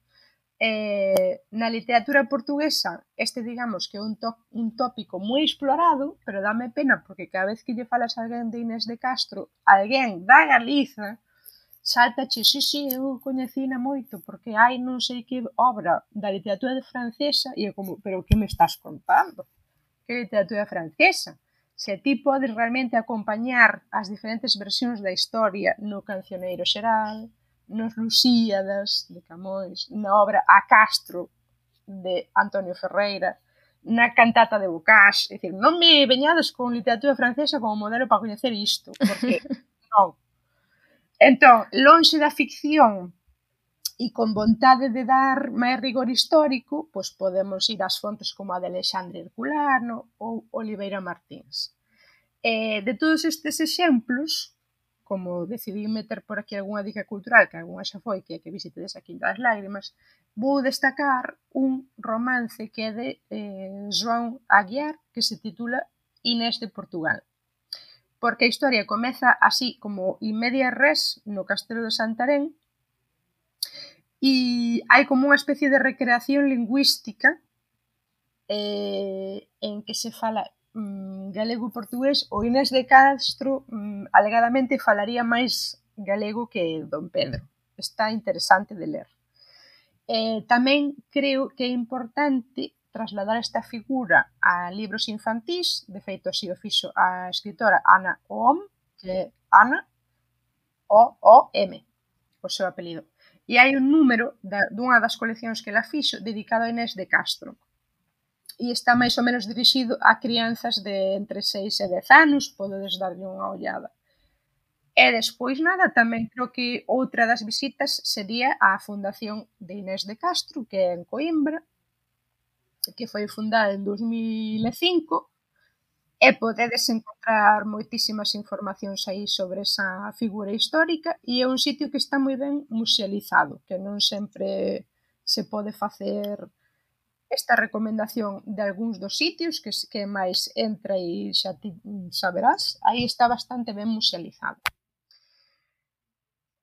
Eh, na literatura portuguesa este digamos que é un, un tópico moi explorado, pero dame pena porque cada vez que lle falas a alguén de Inés de Castro, alguén da Galiza saltache, sí, sí, eu coñecina moito porque hai non sei que obra da literatura francesa, e é como, pero que me estás contando? Que literatura francesa? Se ti podes realmente acompañar as diferentes versións da historia no Cancioneiro Xeral, nos Lusíadas de Camões, na obra A Castro de Antonio Ferreira, na cantata de Bocage, é dicir, non me veñades con literatura francesa como modelo para coñecer isto, porque non. Entón, lonxe da ficción e con vontade de dar máis rigor histórico, pois podemos ir ás fontes como a de Alexandre Herculano ou Oliveira Martins. E de todos estes exemplos, como decidí meter por aquí algunha dica cultural, que algunha xa foi, que é que visitedes a Quinta das Lágrimas, vou destacar un romance que é de eh, João Aguiar, que se titula Inés de Portugal. Porque a historia comeza así como in media res no Castelo de Santarém, e hai como unha especie de recreación lingüística eh, en que se fala mm, galego e portugués. O Inés de Castro mm, alegadamente falaría máis galego que Don Pedro. Está interesante de ler. Eh, tamén creo que é importante trasladar esta figura a libros infantís. De feito, así o fixo a escritora Ana Oom, que é Ana O O M, o seu apelido. E hai un número da, dunha das coleccións que ela fixo dedicado a Inés de Castro. E está máis ou menos dirixido a crianzas de entre seis e dez anos, podedes darlle unha ollada. E despois nada, tamén creo que outra das visitas sería a Fundación de Inés de Castro, que é en Coimbra, que foi fundada en dos mil e cinco, e podedes encontrar moitísimas informacións aí sobre esa figura histórica, e é un sitio que está moi ben musealizado, que non sempre se pode facer esta recomendación de algúns dos sitios, que, que máis entra e xa ti saberás, aí está bastante ben musealizado.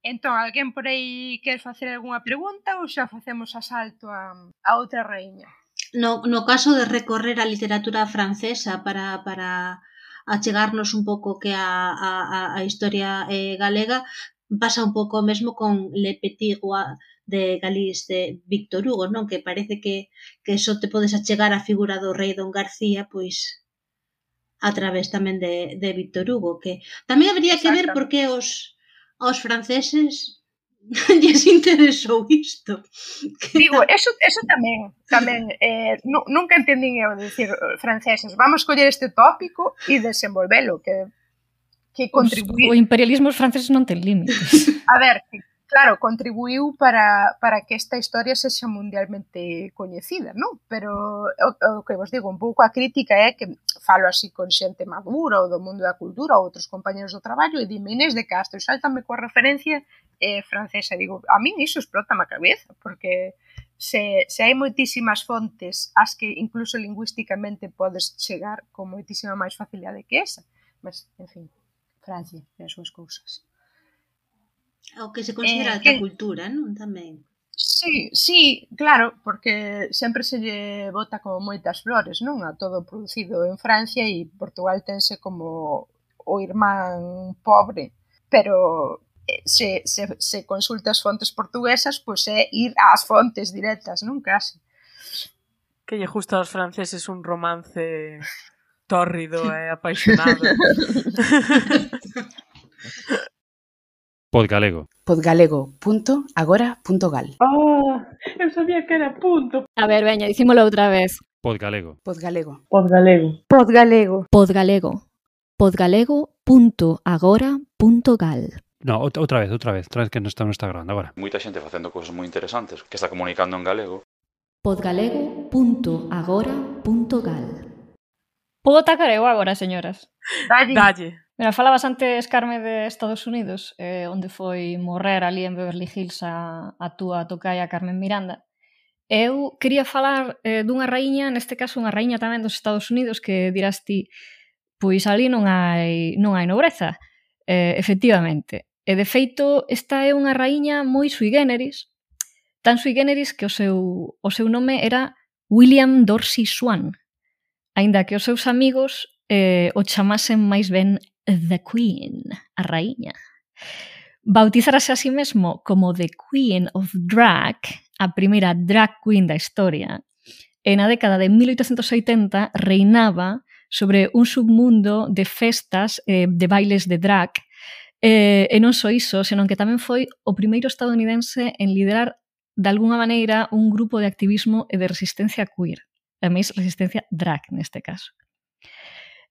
Entón, alguén por aí quer facer algunha pregunta ou xa facemos asalto a, a outra raíña? No, no caso de recorrer a literatura francesa para, para achegarnos un pouco que a, a, a historia eh, galega, pasa un pouco o mesmo con Le Petit Roi de Galice de Víctor Hugo, non? Que parece que, que só te podes achegar a figura do rei Don García, pois a través tamén de, de Víctor Hugo, que tamén habería que ver por que os, os franceses lles interesou isto. Digo, eso, eso tamén, tamén eh, nu, nunca entendín eu decir franceses, vamos coller este tópico e desenvolvelo, que, que contribuí... O imperialismo os franceses non ten límites. A ver, claro, contribuiu para, para que esta historia sexa mundialmente coñecida, non? Pero o, o que vos digo, un pouco a crítica é que falo así con xente madura ou do mundo da cultura ou outros compañeros do traballo e dime Inés de Castro e sáltame coa referencia eh, francesa. Digo, a min iso explota a cabeza, porque se, se hai moitísimas fontes as que incluso lingüísticamente podes chegar con moitísima máis facilidade que esa. Mas, en fin, Francia e as súas cousas. O que se considera eh, alta que... cultura, non? Tamén. Sí, sí, claro, porque sempre se lle bota como moitas flores, non? A todo producido en Francia e Portugal tense como o irmán pobre, pero se, se, se consulta as fontes portuguesas, pois é ir ás fontes directas, non? Casi. Que lle gusta aos franceses un romance tórrido e apaixonado. Podgalego. Podgalego punto agora punto gal. Ah, eu sabía que era punto. A ver, veña, dicímolo outra vez. Podgalego. Podgalego. Podgalego. Podgalego. Podgalego. Podgalego punto agora punto gal. No, outra vez, outra vez, outra vez que non está, non está grabando agora. Moita xente facendo cousas moi interesantes, que está comunicando en galego. Podgalego punto agora punto gal. Podo atacar eu agora, señoras? Dalle. Dalle. Mira, falabas antes, Carme, de Estados Unidos, eh, onde foi morrer ali en Beverly Hills a, a túa tocaia Carmen Miranda. Eu quería falar eh, dunha raíña, neste caso unha raíña tamén dos Estados Unidos, que dirás ti, pois ali non hai, non hai nobreza. Eh, efectivamente. E de feito, esta é unha raíña moi sui generis, tan sui generis que o seu, o seu nome era William Dorsey Swan, aínda que os seus amigos eh, o chamasen máis ben The Queen, a raíña. Bautizarase a sí mesmo como The Queen of Drag, a primeira drag queen da historia, e na década de mil oitocentos oitenta reinaba sobre un submundo de festas, eh, de bailes de drag, eh, e non só iso, senón que tamén foi o primeiro estadounidense en liderar de alguna maneira un grupo de activismo e de resistencia queer, a máis resistencia drag neste caso.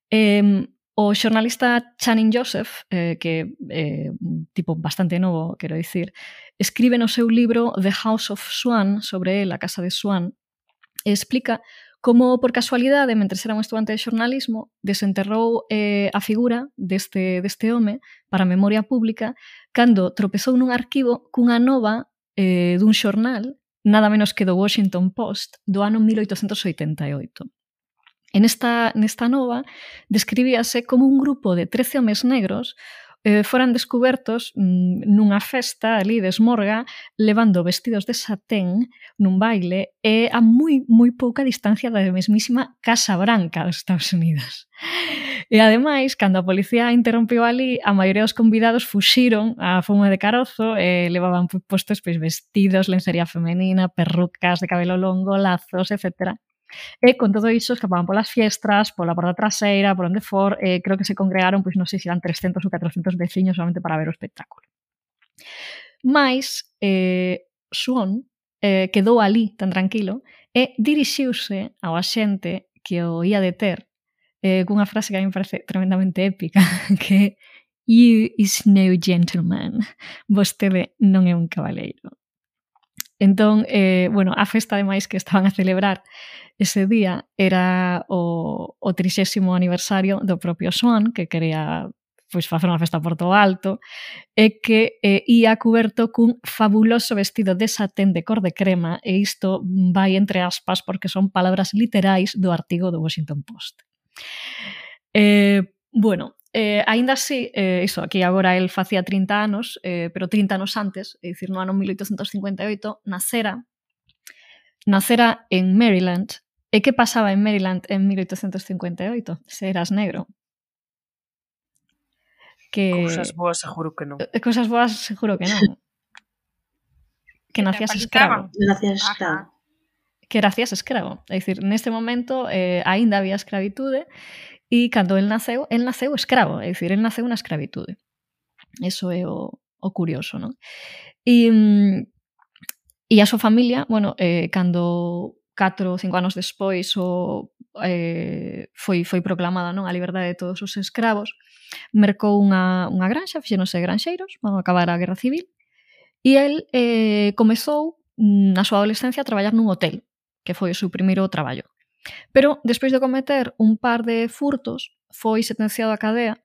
Eh, O xornalista Channing Joseph, eh, que é eh, un tipo bastante novo, quero dicir, escribe no seu libro The House of Swan, sobre el, a casa de Swan, e explica como, por casualidade, mentre era un estudante de xornalismo, desenterrou eh, a figura deste, deste home para a memoria pública cando tropezou nun arquivo cunha nova eh, dun xornal, nada menos que do Washington Post, do ano mil oitocentos oitenta e oito. En esta, nesta nova describíase como un grupo de trece homes negros eh, foran descubertos mm, nunha festa ali de esmorga levando vestidos de satén nun baile e a moi, moi pouca distancia da mesmísima Casa Branca dos Estados Unidos. E ademais, cando a policía interrompiu ali, a maioría dos convidados fuxiron a fume de carozo e levaban postos pois, vestidos, lencería femenina, perrucas de cabelo longo, lazos, etcétera. E con todo iso escapaban polas fiestras, pola porta traseira, por onde for, e creo que se congregaron, pois non sei se eran trescentos ou catrocentos veciños solamente para ver o espectáculo. Mais, eh, Swan eh, quedou ali tan tranquilo e dirixiuse ao axente que o ia deter eh, cunha frase que a mí me parece tremendamente épica, que "You is no gentleman", vostede non é un cabaleiro. Entón, eh, bueno, a festa ademais que estaban a celebrar ese día era o, o trixésimo aniversario do propio Swan, que quería pois, facer unha festa por todo alto, e que eh, ia cuberto cun fabuloso vestido de satén de cor de crema, e isto vai entre aspas porque son palabras literais do artigo do Washington Post. Eh, bueno, Eh, aínda así, eh, iso, aquí agora el facía trinta anos, eh, pero trinta anos antes, é dicir, no ano mil oitocentos cincuenta e oito, nacera, nacera en Maryland. E que pasaba en Maryland en mil oitocentos cincuenta e oito? Se eras negro. Que... Cousas boas seguro que non. Cousas boas seguro que non. Que nacías escravo. Nacías escravo. Que nacías escravo. É dicir, neste momento eh, aínda había escravitude. E cando el naceu, el naceu escravo, é dicir, el naceu na escravitude. Eso é o, o curioso, non? E, e a súa familia, bueno, eh, cando catro ou cinco anos despois o, eh, foi, foi proclamada non a liberdade de todos os escravos, mercou unha, unha granxa, fixéronse granxeiros, vamos acabar a Guerra Civil, e el eh, comezou na súa adolescencia a traballar nun hotel, que foi o seu primeiro traballo. Pero, despois de cometer un par de furtos, foi sentenciado a cadea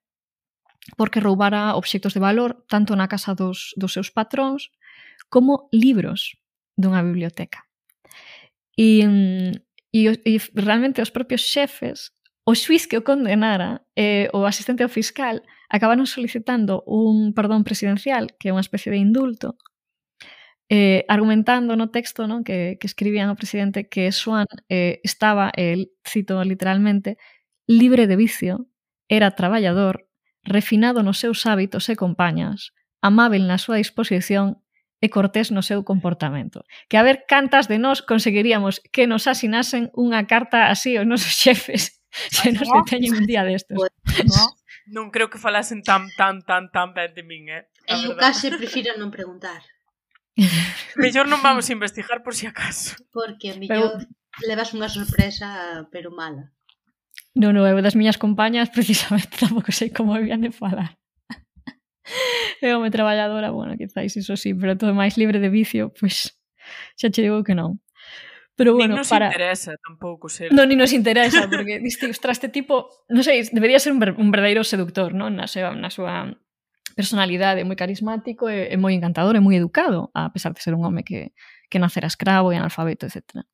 porque roubara obxectos de valor tanto na casa dos, dos seus patróns como libros dunha biblioteca. E, e, e realmente os propios xefes, o xuiz que o condenara e o asistente ao fiscal acabaron solicitando un perdón presidencial, que é unha especie de indulto, Eh, argumentando no texto, non, que, que escribían ao presidente que Swan eh, estaba, el, cito literalmente, libre de vicio, era traballador, refinado nos seus hábitos e compañas, amável na súa disposición e cortés no seu comportamento. Que a ver cantas de nós conseguiríamos que nos asinasen unha carta así aos nosos xefes se nos deteñen un día destes. No, non creo que falasen tan, tan, tan, tan ben de min, eh? En meu caso, prefiro non preguntar. Mellor non vamos a investigar por si acaso. Porque a mellor pero... levas unha sorpresa, pero mala. Non, non, eu das miñas compañas precisamente tampouco sei como habían de falar. Eu me traballadora, bueno, quizáis iso sí, pero todo máis libre de vicio, pois pues, xa che digo que non. Pero bueno, ni nos para... interesa tampouco ser. Non, ni nos interesa, porque diste, ostras, este tipo, non sei, debería ser un, ver, un verdadeiro seductor, non? Na súa, na súa personalidade, moi carismático e, e moi encantador e moi educado, a pesar de ser un home que, que nacera escravo e analfabeto, etcétera.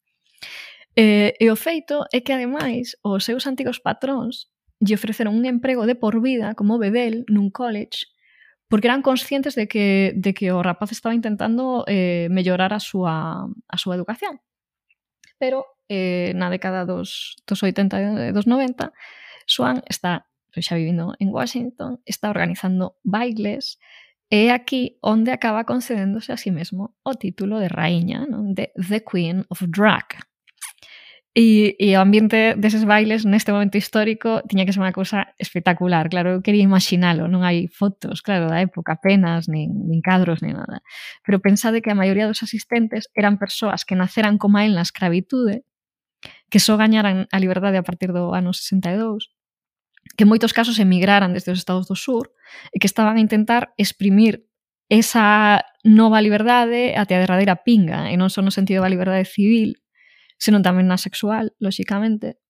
E, e o feito é que, ademais, os seus antigos patróns lle ofreceron un emprego de por vida como bedel nun college porque eran conscientes de que, de que o rapaz estaba intentando eh, mellorar a súa, a súa educación. Pero eh, na década dos, dos oitenta e dos noventa, Swan está xa vivindo en Washington, está organizando bailes e é aquí onde acaba concedéndose a sí mesmo o título de raíña, non? De The Queen of Drag. E, e o ambiente deses bailes neste momento histórico tiña que ser unha cousa espectacular. Claro, eu quería imaginalo, non hai fotos, claro, da época apenas, nin, nin cadros, nin nada. Pero pensade que a maioría dos asistentes eran persoas que naceran como a él na escravitude, que só gañaran a liberdade a partir do ano sesenta e dous, que en moitos casos emigraran desde os Estados do Sur e que estaban a intentar exprimir esa nova liberdade até a derradeira pinga, e non só no sentido da liberdade civil, senón tamén na sexual, lóxicamente,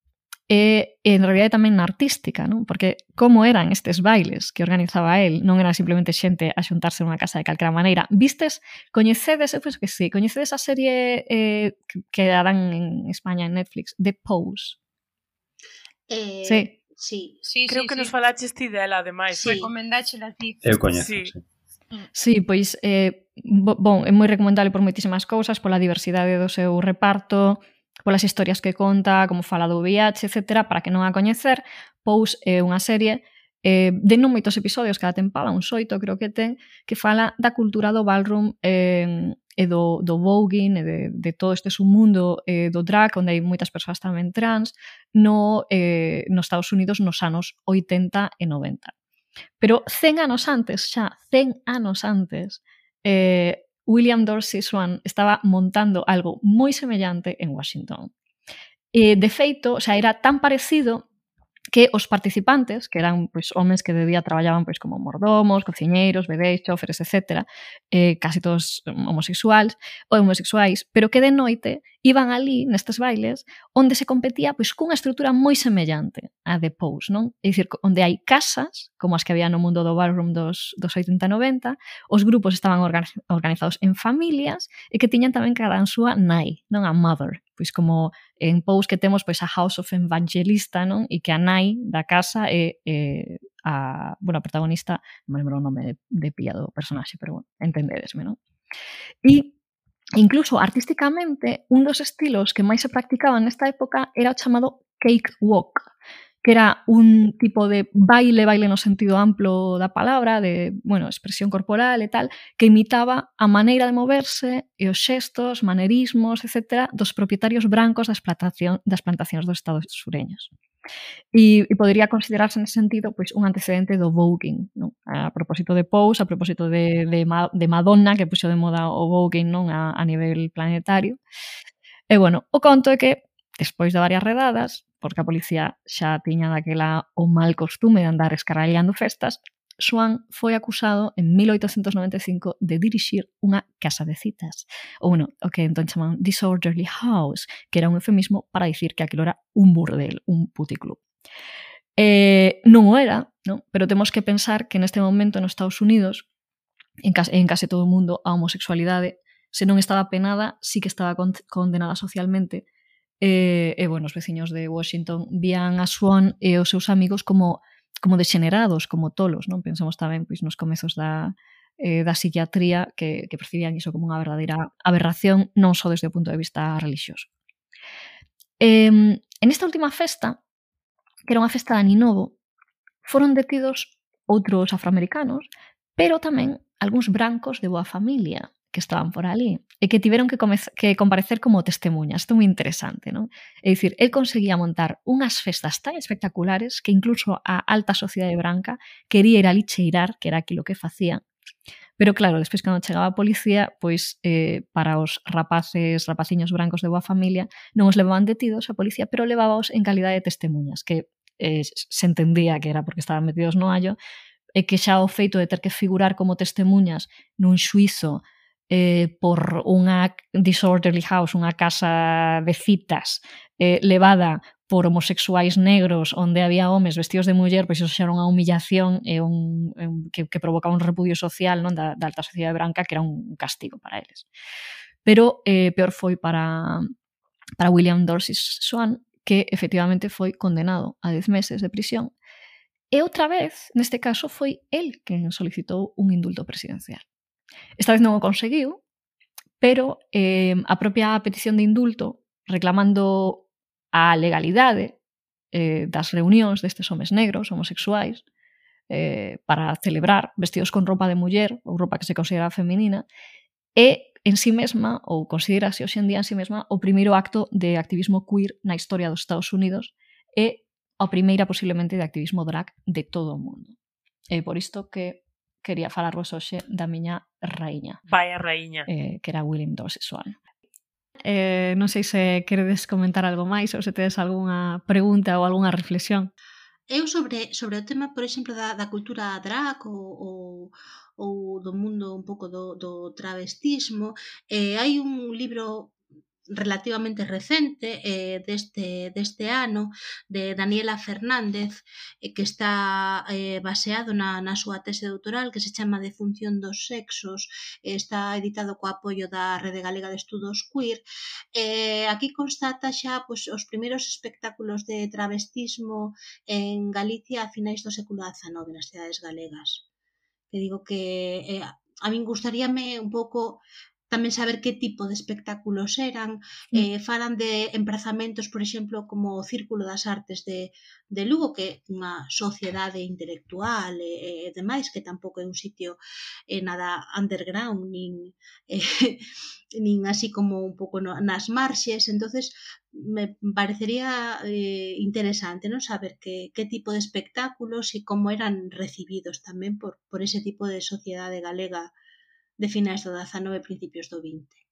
e en realidade tamén na artística, non? Porque como eran estes bailes que organizaba el, non era simplemente xente a xuntarse nunha casa de calquera maneira. Vistes, coñecedes, eu penso que sí, coñecedes a serie eh, que darán en España en Netflix, The Pose? Eh, Sí. Sí. Sí, Creo sí, que sí. nos falaches ti dela, ademais. Sí. Recomendáchela a ti. Eu coñezo, Sí. sí. Sí, pois, eh, bo, bon, é moi recomendable por moitísimas cousas, pola diversidade do seu reparto, polas historias que conta, como fala do V I H, etcétera. Para que non a coñecer, Pose é unha serie eh, de non moitos episodios cada tempada, uns oito creo que ten, que fala da cultura do ballroom eh, e do, do voguing e de, de todo este submundo eh, do drag, onde hai moitas persoas tamén trans, no, eh, nos Estados Unidos nos anos oitenta e noventa. Pero cen anos antes, xa, cen anos antes, eh, William Dorsey Swann estaba montando algo moi semellante en Washington. E, de feito, xa era tan parecido que os participantes, que eran pois, homes que de día traballaban pois, como mordomos, cociñeiros, bebés, choferes, etcétera, eh, casi todos homosexuais ou homosexuais, pero que de noite iban ali nestes bailes onde se competía pois, cunha estrutura moi semellante a The Pose, non? É dicir, onde hai casas, como as que había no mundo do ballroom dos, dos oitenta e noventa, os grupos estaban organizados en familias e que tiñan tamén cada a súa nai, non a mother, pois como en Pose que temos pois a House of Evangelista, non? E que a nai da casa é, é a, bueno, a protagonista, non me lembro o nome de, de pilla do personaxe, pero bueno, entendedesme, non? E incluso artísticamente, un dos estilos que máis se practicaban nesta época era o chamado cakewalk, que era un tipo de baile, baile no sentido amplo da palabra, de, bueno, expresión corporal e tal, que imitaba a maneira de moverse e os xestos, manerismos, etcétera, dos propietarios brancos das, plantación, das plantacións dos estados sureños. E, e podría considerarse nesse sentido pois, un antecedente do voguing, non? A propósito de Pose, a propósito de, de, de Madonna, que puxo de moda o voguing non? A, a nivel planetario. E, bueno, o conto é que, despois de varias redadas, porque a policía xa tiña daquela o mal costume de andar escarrallando festas, Swann foi acusado en mil oitocentos noventa e cinco de dirixir unha casa de citas, ou bueno, o que entón chaman disorderly house, que era un eufemismo para dicir que aquilo era un burdel, un puticlub. Eh, non o era, non? Pero temos que pensar que neste momento nos Estados Unidos, en case, en case todo o mundo, a homosexualidade, se non estaba penada, sí que estaba condenada socialmente. E, e bueno, os veciños de Washington vían a Swann e os seus amigos como como degenerados, como tolos, non? Pensamos tamén pois, nos comezos da, eh, da psiquiatría que, que percibían iso como unha verdadeira aberración, non só desde o punto de vista religioso. Eh, en esta última festa, que era unha festa de Aninovo, foron detidos outros afroamericanos, pero tamén algúns brancos de boa familia que estaban por ali e que tiveron que, que comparecer como testemunhas. Isto é moi interesante, non? É dicir, el conseguía montar unhas festas tan espectaculares que incluso a alta sociedade branca quería ir ali cheirar, que era aquilo que facía. Pero claro, despois cando chegaba a policía, pois eh, para os rapaces, rapaciños brancos de boa familia, non os levaban detidos a policía, pero levábaos en calidade de testemunhas, que eh, se entendía que era porque estaban metidos no hallo, e que xa o feito de ter que figurar como testemunhas nun xuizo Eh, por unha disorderly house, unha casa de citas eh, levada por homosexuais negros onde había homes vestidos de muller, pois iso xa era unha humillación e un, un, que, que provocaba un repudio social, non, da, da alta sociedade branca, que era un castigo para eles. Pero eh, peor foi para, para William Dorsey Swann, que efectivamente foi condenado a dez meses de prisión. E outra vez, neste caso, foi el quen solicitou un indulto presidencial. Esta vez non o conseguiu, pero eh, a propia petición de indulto reclamando a legalidade eh, das reunións destes homes negros, homosexuais, eh, para celebrar vestidos con roupa de muller ou roupa que se considera feminina, é en sí mesma, ou considerase hoxe en día en sí mesma, o primeiro acto de activismo queer na historia dos Estados Unidos e a primeira posiblemente de activismo drag de todo o mundo. É por isto que quería falarvos hoxe da miña raíña. Vai a raíña. Eh, que era William Dorsey Swann. Eh, non sei se queredes comentar algo máis ou se tedes algunha pregunta ou algunha reflexión. eu sobre, sobre o tema, por exemplo, da, da cultura drag ou, ou, ou do mundo un pouco do, do travestismo, eh, hai un libro relativamente recente eh, deste, deste ano de Daniela Fernández eh, que está eh, baseado na, na súa tese doutoral que se chama De función dos sexos, eh, está editado co apoio da Rede Galega de Estudos Queer. Eh, aquí constata xa pois, os primeiros espectáculos de travestismo en Galicia a finais do século dezanove nas cidades galegas. Que digo que eh, a min gustaríame un pouco tamén saber que tipo de espectáculos eran, eh, falan de emprazamentos, por exemplo, como o Círculo das Artes de, de Lugo, que é unha sociedade intelectual e, e demais, que tampouco é un sitio eh, nada underground, nin, eh, nin así como un pouco no, nas marxes, entonces me parecería eh, interesante, non, saber que, que tipo de espectáculos e como eran recibidos tamén por, por ese tipo de sociedade galega de finais do dezanove e principios do vinte.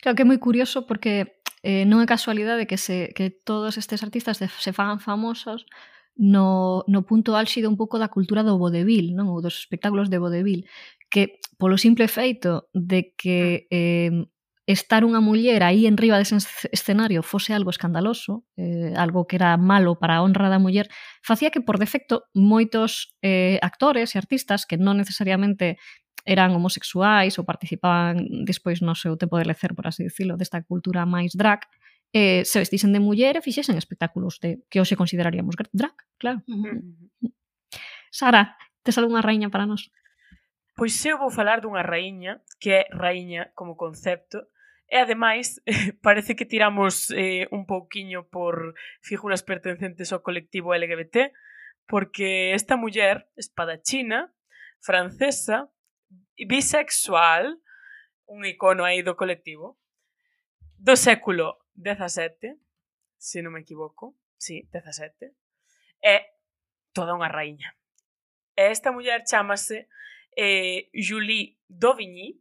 Claro que é moi curioso porque eh, non é casualidade que, se, que todos estes artistas de, se fagan famosos no, no punto álxido un pouco da cultura do vodevil, non? Ou dos espectáculos de vodevil, que polo simple feito de que eh, estar unha muller aí en riba dese escenario fose algo escandaloso, eh, algo que era malo para a honra da muller, facía que por defecto moitos eh, actores e artistas que non necesariamente eran homosexuais ou participaban despois no seu tempo de lecer, por así dicilo, desta cultura máis drag, eh, se vestisen de muller e fixesen espectáculos de que hoxe consideraríamos drag, claro. Uh-huh. Sara, tes algunha raíña para nós? Pois eu vou falar dunha raíña, que é raíña como concepto, e ademais parece que tiramos eh, un pouquiño por figuras pertencentes ao colectivo L G B T, porque esta muller espadachina, francesa, bisexual, un icono aí do colectivo, do século dezasete, se non me equivoco, sí, dezasete, é toda unha raíña. E esta muller chámase eh, Julie Dauvigny,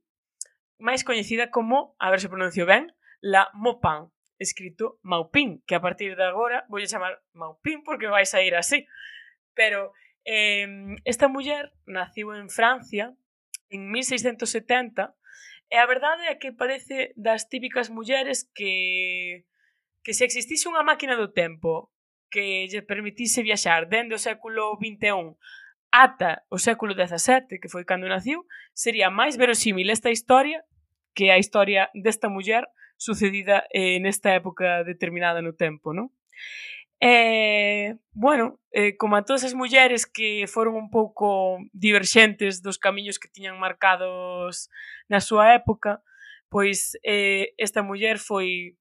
máis coñecida como, a ver se pronuncio ben, La Maupin, escrito Maupin, que a partir de agora voulle chamar Maupin porque vai sair así. Pero eh, esta muller naciu en Francia en mil seiscentos setenta e a verdade é que parece das típicas mulleres que, que se existise unha máquina do tempo que lle permitise viaxar dende o século vinte e un ata o século dezasete, que foi cando naciu, sería máis verosímil esta historia que a historia desta muller sucedida eh, nesta época determinada no tempo, non? Eh, bueno, eh, como a todas as mulleres que foron un pouco diverxentes dos camiños que tiñan marcados na súa época, pois eh, esta muller foi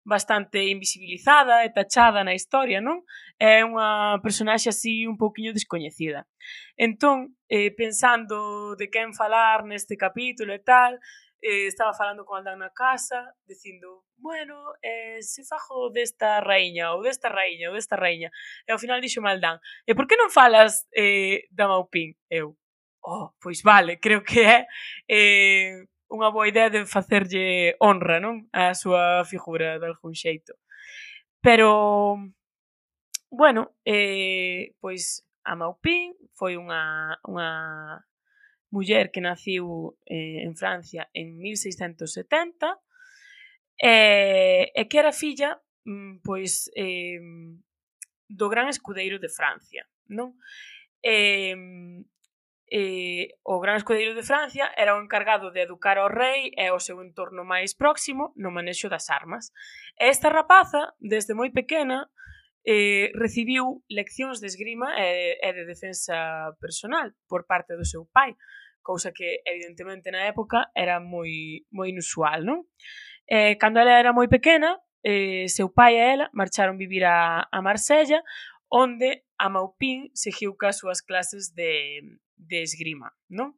bastante invisibilizada e tachada na historia, non? É unha personaxe así un pouquiño descoñecida. Entón, eh, pensando de quen falar neste capítulo e tal, eh, estaba falando con Aldán na casa, dicindo, bueno, eh, se fajo desta raíña, ou desta raíña, ou desta raíña. E ao final dixo Aldán, e por que non falas eh, da Maupin? Eu, oh, pois vale, creo que é eh, unha boa idea de facerlle honra, non? A súa figura, de algún xeito. Pero, bueno, eh, pois a Maupin foi unha, unha muller que naciu eh, en Francia en mil seiscentos setenta e, e que era filla pois eh, do gran escudeiro de Francia, non? E, eh, o gran escudeiro de Francia era o encargado de educar ao rei e ao seu entorno máis próximo no manexo das armas. E esta rapaza, desde moi pequena, eh, recibiu leccións de esgrima e, e de defensa personal por parte do seu pai, cousa que evidentemente na época era moi, moi inusual, non? Eh, cando ela era moi pequena, eh, seu pai e ela marcharon vivir a, a Marsella, onde a Maupin seguiu cas súas clases de, de esgrima, non?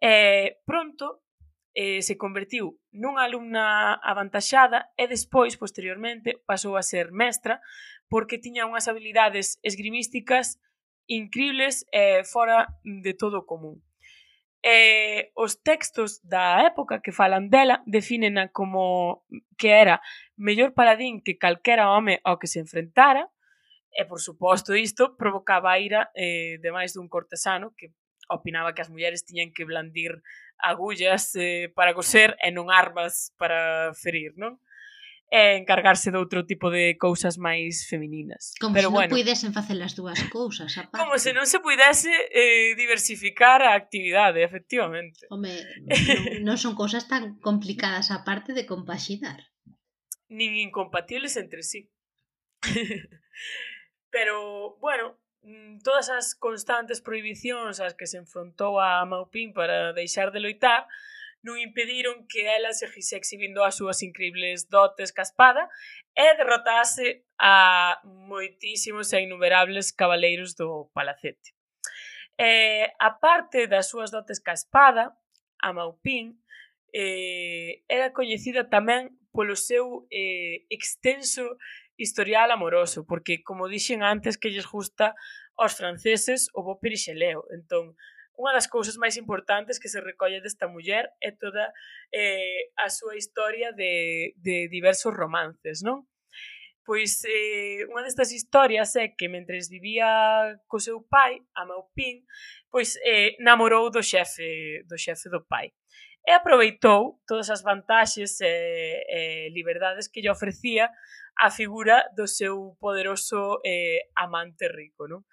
Eh, pronto eh, se convertiu nunha alumna avantaxada e despois, posteriormente, pasou a ser mestra porque tiña unhas habilidades esgrimísticas incribles e fora de todo o común. Eh, os textos da época que falan dela defínena como que era mellor paladín que calquera home ao que se enfrentara E, por suposto, isto provocaba a ira eh, de máis dun cortesano que opinaba que as mulleres tiñan que blandir agullas eh, para coser e non armas para ferir, non? E encargarse de outro tipo de cousas máis femininas. Como Pero se non bueno, puidesen facer as dúas cousas, aparte. como se non se puidese eh, diversificar a actividade, efectivamente. Home, non, non son cousas tan complicadas aparte de compaxinar. Nin incompatibles entre sí. Pero, bueno, todas as constantes prohibicións ás que se enfrontou a Maupin para deixar de loitar non impediron que ela seguise exhibindo as súas increíbles dotes ca espada e derrotase a moitísimos e innumerables cabaleiros do palacete. E, a parte das súas dotes ca espada, a Maupin eh, era coñecida tamén polo seu eh, extenso historial amoroso, porque, como dixen antes, que lles gusta aos franceses o bo perixeleo. Entón, unha das cousas máis importantes que se recolle desta muller é toda eh, a súa historia de, de diversos romances, non? Pois eh, unha destas historias é que mentres vivía co seu pai, a Maupin, pois eh, namorou do xefe do xefe do pai. E aproveitou todas as vantaxes e, e liberdades que lle ofrecía a figura do seu poderoso eh, amante rico, non?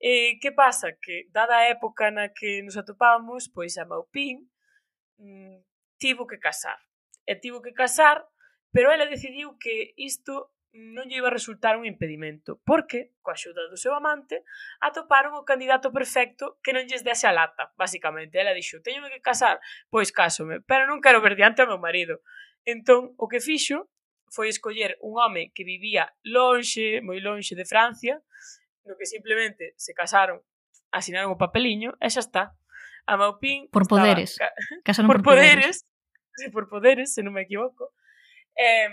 E que pasa? Que, dada a época na que nos atopábamos, pois a Maupin mm, tivo que casar. E tivo que casar, pero ela decidiu que isto non lle iba a resultar un impedimento, porque, coa axuda do seu amante, atoparon o candidato perfecto que non lles dese a lata, basicamente. Ela dixo, teño que casar, pois cásome, pero non quero ver diante ao meu marido. Entón, o que fixo foi escoller un home que vivía lonxe, moi lonxe de Francia, no que simplemente se casaron, asinaron o papeliño e xa está. A Maupin por estaba, poderes. Ca... Casaron por, por poderes. poderes. Sí, por poderes, se non me equivoco. Eh,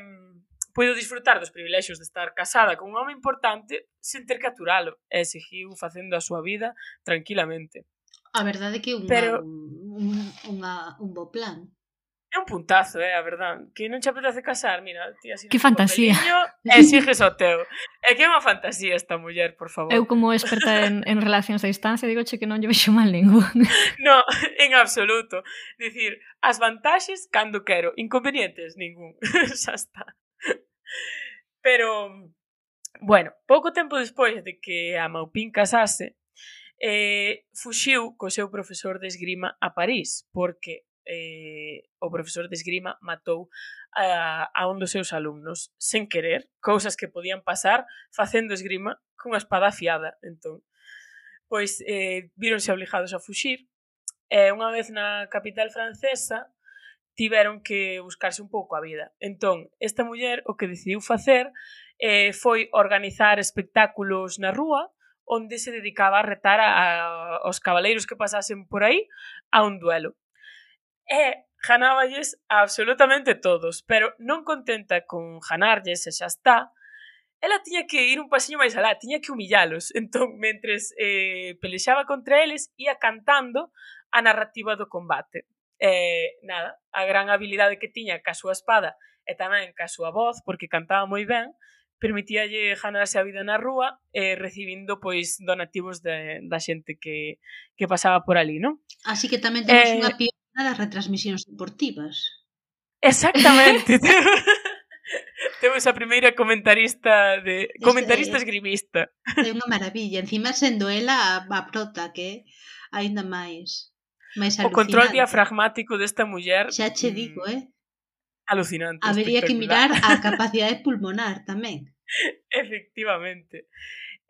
puido disfrutar dos privilexios de estar casada con un home importante sen ter que aturalo e seguiu facendo a súa vida tranquilamente. A verdade é que é unha, Pero... un, unha, un bo plan. É un puntazo, é, eh, a verdade. Que non che apetece casar, mira, ti así que fantasía. E sigues o teu. É que é unha fantasía esta muller, por favor. Eu como experta en, en relacións a distancia digoche que non lle vexo mal ningún. No, en absoluto. Dicir, as vantaxes cando quero, inconvenientes ningún. Xa está. Pero, bueno, pouco tempo despois de que a Maupin casase, eh, fuxiu co seu profesor de esgrima a París, porque eh, o profesor de esgrima matou a, a un dos seus alumnos sen querer, cousas que podían pasar facendo esgrima cunha espada afiada. Entón, pois eh, víronse obligados a fuxir e unha vez na capital francesa tiveron que buscarse un pouco a vida. Entón, esta muller o que decidiu facer eh, foi organizar espectáculos na rúa onde se dedicaba a retar a, a, aos cabaleiros que pasasen por aí a un duelo. E ganáballes a absolutamente todos, pero non contenta con ganarlles e xa está, ela tiña que ir un pasiño máis alá, tiña que humillalos. Entón, mentres eh, pelexaba contra eles, ia cantando a narrativa do combate. Eh, nada, a gran habilidade que tiña ca súa espada e tamén ca súa voz, porque cantaba moi ben, permitíalle ganarse a vida na rúa eh, recibindo pois donativos de, da xente que, que pasaba por ali, non? Así que tamén temos Eh, unha pionera das retransmisións deportivas. Exactamente. Temos a primeira comentarista de comentarista Es, esgrimista. É unha maravilla, encima sendo ela a, a prota, que aínda máis máis O control alucinante. diafragmático desta muller Xa che digo, eh? alucinante. Habería que mirar a capacidade pulmonar tamén. Efectivamente.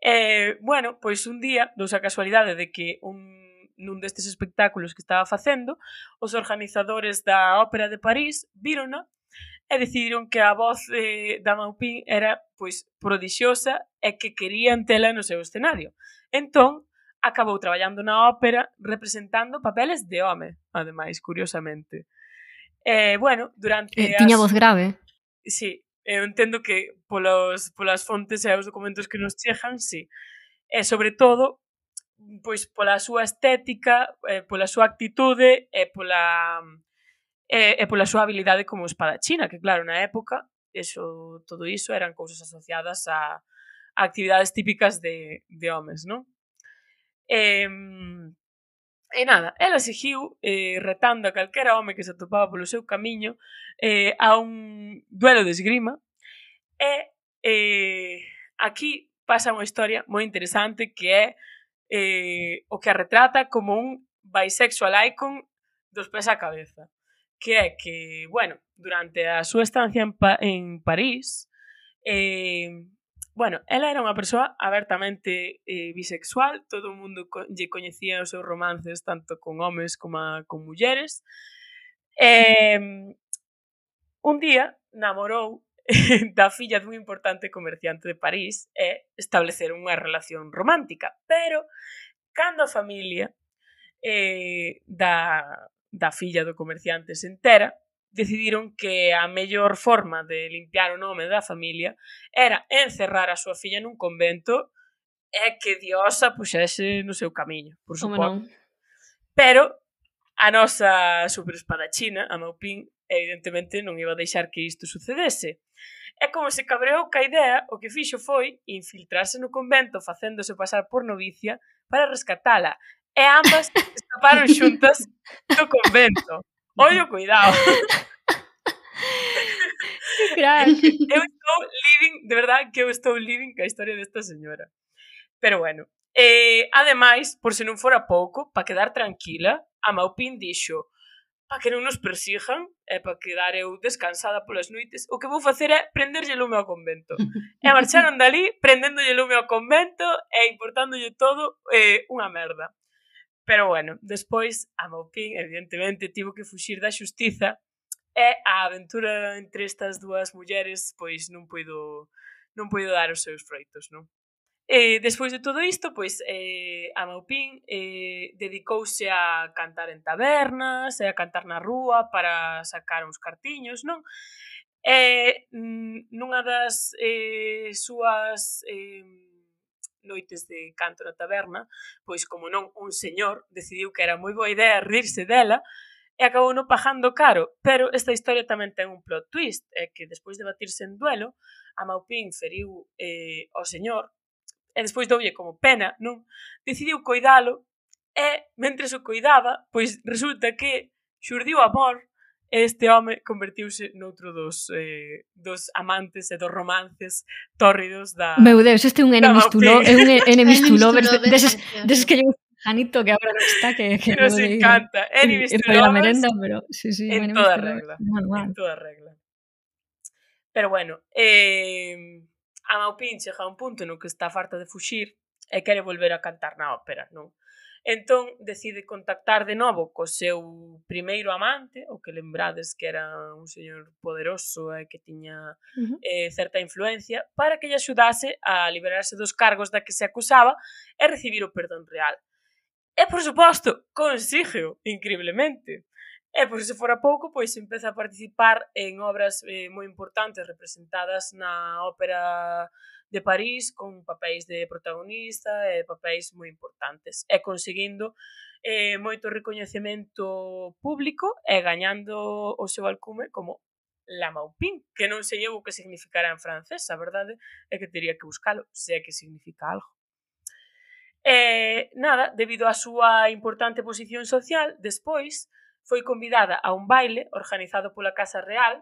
Eh, bueno, pois un día, dous a casualidade de que un nun destes espectáculos que estaba facendo, os organizadores da Ópera de París vírona e decidiron que a voz eh, da Maupin era pois prodixiosa e que querían tela no seu escenario. Entón, acabou traballando na ópera representando papeles de home, ademais, curiosamente. Eh, bueno, durante Eh, tiña as... voz grave. Sí, eu entendo que polos, polas fontes e os documentos que nos chegan, sí. E sobre todo, pois pola súa estética, eh, pola súa actitude e pola e, e pola súa habilidade como espadachina, que claro, na época, eso, todo iso eran cousas asociadas a, actividades típicas de, de homes, non? E, e nada, ela seguiu eh, retando a calquera home que se atopaba polo seu camiño eh, a un duelo de esgrima e eh, aquí pasa unha historia moi interesante que é eh, o que a retrata como un bisexual icon dos pés á cabeza, que é que, bueno, durante a súa estancia en, pa en París, eh, bueno, ela era unha persoa abertamente eh, bisexual, todo o mundo co lle coñecía os seus romances tanto con homes como a, con mulleres. Eh, un día namorou da filla dun importante comerciante de París e estableceron unha relación romántica, pero cando a familia eh, da, da filla do comerciante se entera, decidiron que a mellor forma de limpiar o nome da familia era encerrar a súa filla nun convento e que Dios a puxese no seu camiño, por suposto. Pero a nosa superespadachina, a Maupin, evidentemente non iba a deixar que isto sucedese. E como se cabreou ca idea, o que fixo foi infiltrarse no convento facéndose pasar por novicia para rescatala. E ambas escaparon xuntas do convento. Ollo, cuidado. Que crack. Eu estou living, de verdade que eu estou living ca historia desta señora. Pero bueno, eh, ademais, por se non fora pouco, para quedar tranquila, a Maupin dixo: para que non nos persigan e para quedar eu descansada polas noites, o que vou facer é prenderlle lume ao convento. E marcharon dali, prendéndolle lume ao convento e importándolle todo eh, unha merda. Pero bueno, despois a Maupin evidentemente tivo que fuxir da xustiza e a aventura entre estas dúas mulleres pois non puido non puido dar os seus froitos, non? E despois de todo isto, pois eh, a Maupin eh, dedicouse a cantar en tabernas e a cantar na rúa para sacar uns cartiños, non? E nunha das eh, súas eh, noites de canto na taberna, pois como non, un señor decidiu que era moi boa idea rirse dela e acabou non pagando caro, pero esta historia tamén ten un plot twist, é que despois de batirse en duelo, a Maupin feriu eh, ao señor e despois doulle como pena, non? Decidiu coidalo e, mentres o coidaba, pois resulta que xurdiu amor e este home convertiuse noutro dos, eh, dos amantes e dos romances tórridos da... Meu Deus, este é un enemies to lovers, é un enemies to lovers, deses, precioso. deses que lle gusta Janito, que agora non está, que, que Nos pode ir encanta. Enemies ir to para la lovers merenda, pero sí, sí, en enemies toda to lovers, regla. manual. En toda regla. Pero bueno, eh, a Maupin chega a un punto no que está farta de fuxir e quere volver a cantar na ópera, non? Entón decide contactar de novo co seu primeiro amante, o que lembrades que era un señor poderoso e que tiña Uh -huh. eh, certa influencia, para que lle axudase a liberarse dos cargos da que se acusaba e recibir o perdón real. E, por suposto, consígueo, increíblemente. E, por se fora pouco, pois empeza a participar en obras eh, moi importantes representadas na ópera de París, con papéis de protagonista e papéis moi importantes, e conseguindo eh, moito recoñecemento público e gañando o seu alcume como la Maupin, que non sei eu o que significará en francés, a verdade é que teria que buscalo, se é que significa algo. E, nada, debido á súa importante posición social, despois foi convidada a un baile organizado pola Casa Real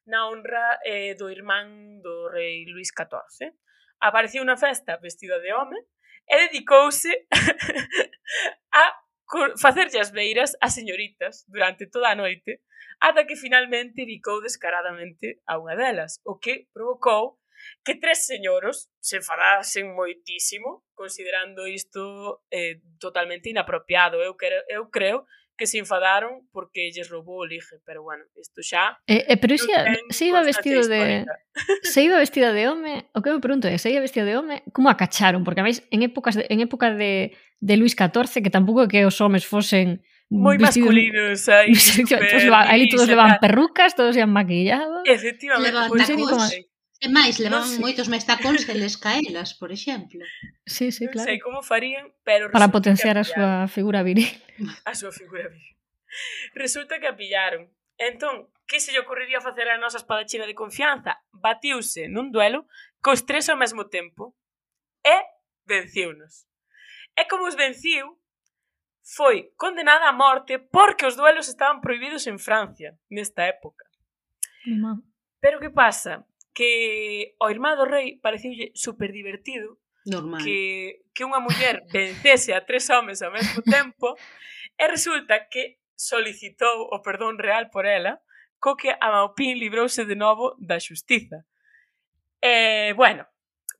na honra eh, do irmán do rei Luís catorce. Apareceu na festa vestida de home e dedicouse a facerlle as beiras a señoritas durante toda a noite ata que finalmente bicou descaradamente a unha delas, o que provocou que tres señoros se enfadasen moitísimo, considerando isto eh, totalmente inapropiado. Eu, quero, eu creo que se enfadaron porque lles roubou o ligue, pero bueno, isto xa... Eh, eh, pero se, se iba vestido de... Se iba vestida de home, o que me pregunto é, se iba vestida de home, como a cacharon? Porque a veis, en épocas de, en época de, de Luís catorce, que tampouco é que os homes fosen moi vestidos, masculinos, aí, aí todos levan perrucas, todos ian maquillados. Efectivamente, levan pois tacos. E máis, levan no, moitos máis tacóns que les caelas, por exemplo. Sí, sí, non claro. sei como farían, pero... Para potenciar a súa figura viril. A súa figura viril. Resulta que a pillaron. Entón, que se lle ocurriría facer a nosa espadachina de confianza? Batiuse nun duelo cos tres ao mesmo tempo. e venciunos. E como os venciu, foi condenada a morte porque os duelos estaban prohibidos en Francia nesta época. Mamá. Pero que pasa? Que ao irmán do rei pareciulle super divertido Normal. que, que unha muller vencese a tres homes ao mesmo tempo e resulta que solicitou o perdón real por ela, co que a Maupin librouse de novo da xustiza. E, bueno,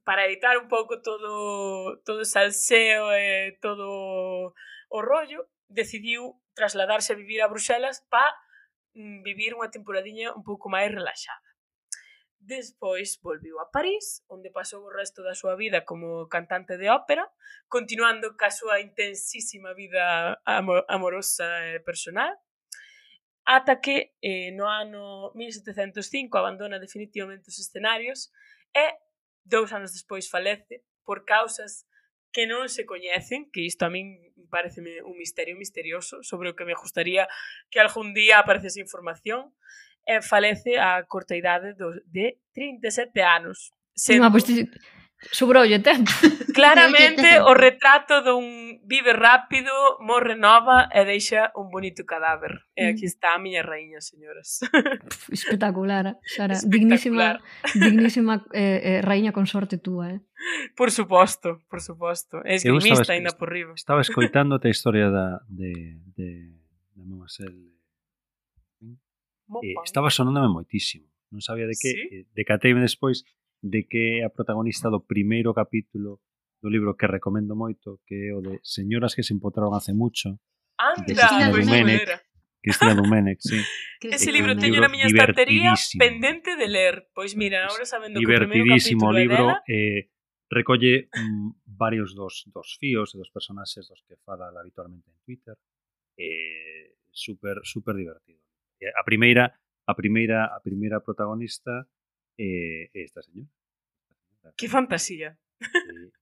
para evitar un pouco todo, todo o salseo e todo o rollo, decidiu trasladarse a vivir a Bruxelas para vivir unha temporadiña un pouco máis relaxada. Despois volviu a París, onde pasou o resto da súa vida como cantante de ópera, continuando ca súa intensísima vida amor amorosa e personal, ata que eh, no ano mil setecentos cinco abandona definitivamente os escenarios e dous anos despois falece por causas que non se coñecen, que isto a min pareceme un misterio misterioso sobre o que me gustaría que algún día aparecese información, e falece a corta idade de trinta e sete anos. Sendo... Ah, pois pues, sobroulle tempo. Claramente o retrato dun vive rápido, morre nova e deixa un bonito cadáver. E aquí está a miña raíña, señoras. Espectacular, Sara. Dignísima, dignísima eh, eh, raíña consorte túa, eh? Por suposto, por suposto. É esgrimista ainda por riba. Estaba escoitándote a historia da, de, de, de Mademoiselle. Eh, estaba sonándome moitísimo. Non sabía de que, ¿Sí? eh, decateime despois de que é a protagonista do primeiro capítulo do libro que recomendo moito, que é o de Señoras que se empotraron hace mucho. Anda, de Cristina pois Domènech. Cristina Domènech, sí. Ese libro teño na miña estantería pendente de ler. Pois mira, agora sabendo que o primeiro capítulo é libro, dela... eh, recolle mm, varios dos, dos fíos e dos personaxes dos que fala habitualmente en Twitter. Eh, super, super divertido. A primeira, a primeira, a primeira protagonista é eh, esta señora. Que fantasía. Eh,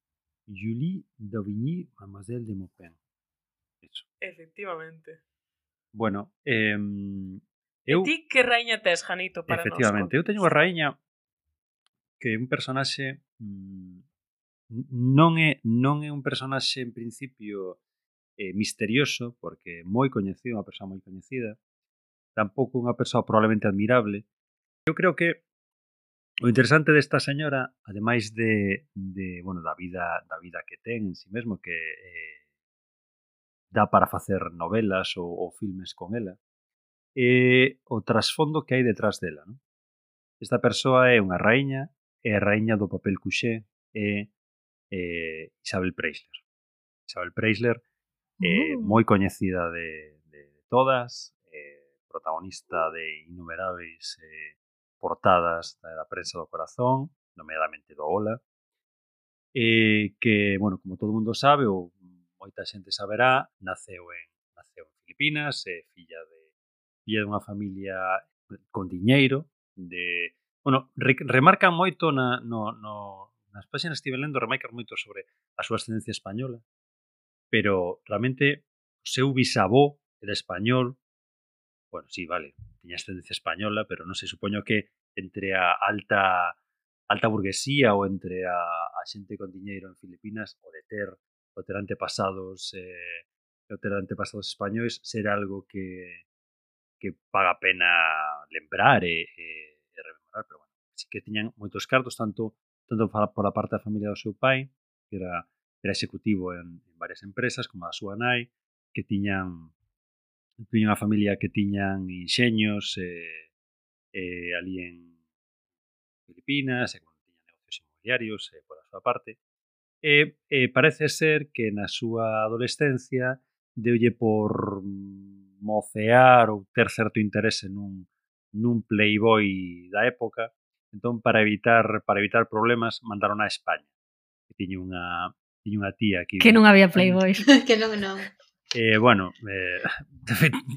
Julie Daubigny, Mademoiselle de Maupin. Eso. Efectivamente. Bueno, eh, eu... E ti que raíña tes, Janito, para nós? Efectivamente, eu teño unha raíña que é un personaxe mmm, non é non é un personaxe en principio eh, misterioso, porque é moi coñecido, unha persoa moi coñecida, tampouco unha persoa probablemente admirable. Eu creo que o interesante desta señora, ademais de, de bueno, da vida da vida que ten en si mesmo, que eh, dá para facer novelas ou, ou filmes con ela, é o trasfondo que hai detrás dela, non? Esta persoa é unha raíña, é a raíña do papel couché, é eh, Isabel Preisler. Isabel Preisler, eh, Uh. moi coñecida de, de, de todas, eh, protagonista de innumerables eh, portadas da prensa do corazón, nomeadamente do Ola, eh, que, bueno, como todo mundo sabe, ou moita xente saberá, naceu en, naceu en Filipinas, é eh, filla de filla dunha familia con diñeiro, de, bueno, re, remarcan moito na, no, no, nas páxinas que estive lendo, remarcan moito sobre a súa ascendencia española, pero realmente o seu bisavó era español. Bueno, sí, vale, tiña ascendencia española, pero non sei, supoño que entre a alta alta burguesía ou entre a, a xente con diñeiro en Filipinas, o de ter o ter antepasados eh, o ter antepasados españois ser algo que que paga pena lembrar e, e, e rememorar, pero bueno, sí que tiñan moitos cartos, tanto tanto por a parte da familia do seu pai, que era, era executivo en, en varias empresas, como a súa nai, que tiñan tiñan unha familia que tiñan enxeños eh, eh, ali en Filipinas, e bueno, tiñan negocios inmobiliarios eh, por a súa parte. E eh, parece ser que na súa adolescencia deulle por mocear ou ter certo interese nun, nun playboy da época, entón para evitar para evitar problemas mandaron a España, que tiña unha tiña unha tía aquí que non había playboys. Que non, non. Eh, bueno, eh, de,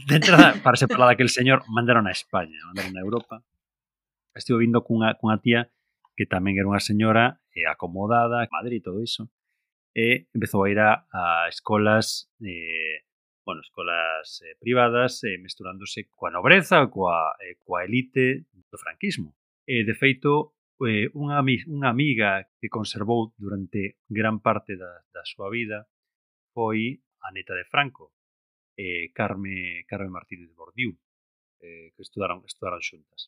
de entrada, para separar aquel señor, mandaron a España, mandaron a Europa. Estivo vindo cunha, cunha tía que tamén era unha señora eh, acomodada, Madrid e todo iso, e empezou a ir a, a escolas eh, bueno, escolas eh, privadas eh, mesturándose coa nobreza, coa, eh, coa elite do franquismo. E, de feito, eh, unha, unha amiga que conservou durante gran parte da, da súa vida foi a neta de Franco, eh, Carme, Carme Martínez Bordiú, eh, que estudaron, estudaron xuntas.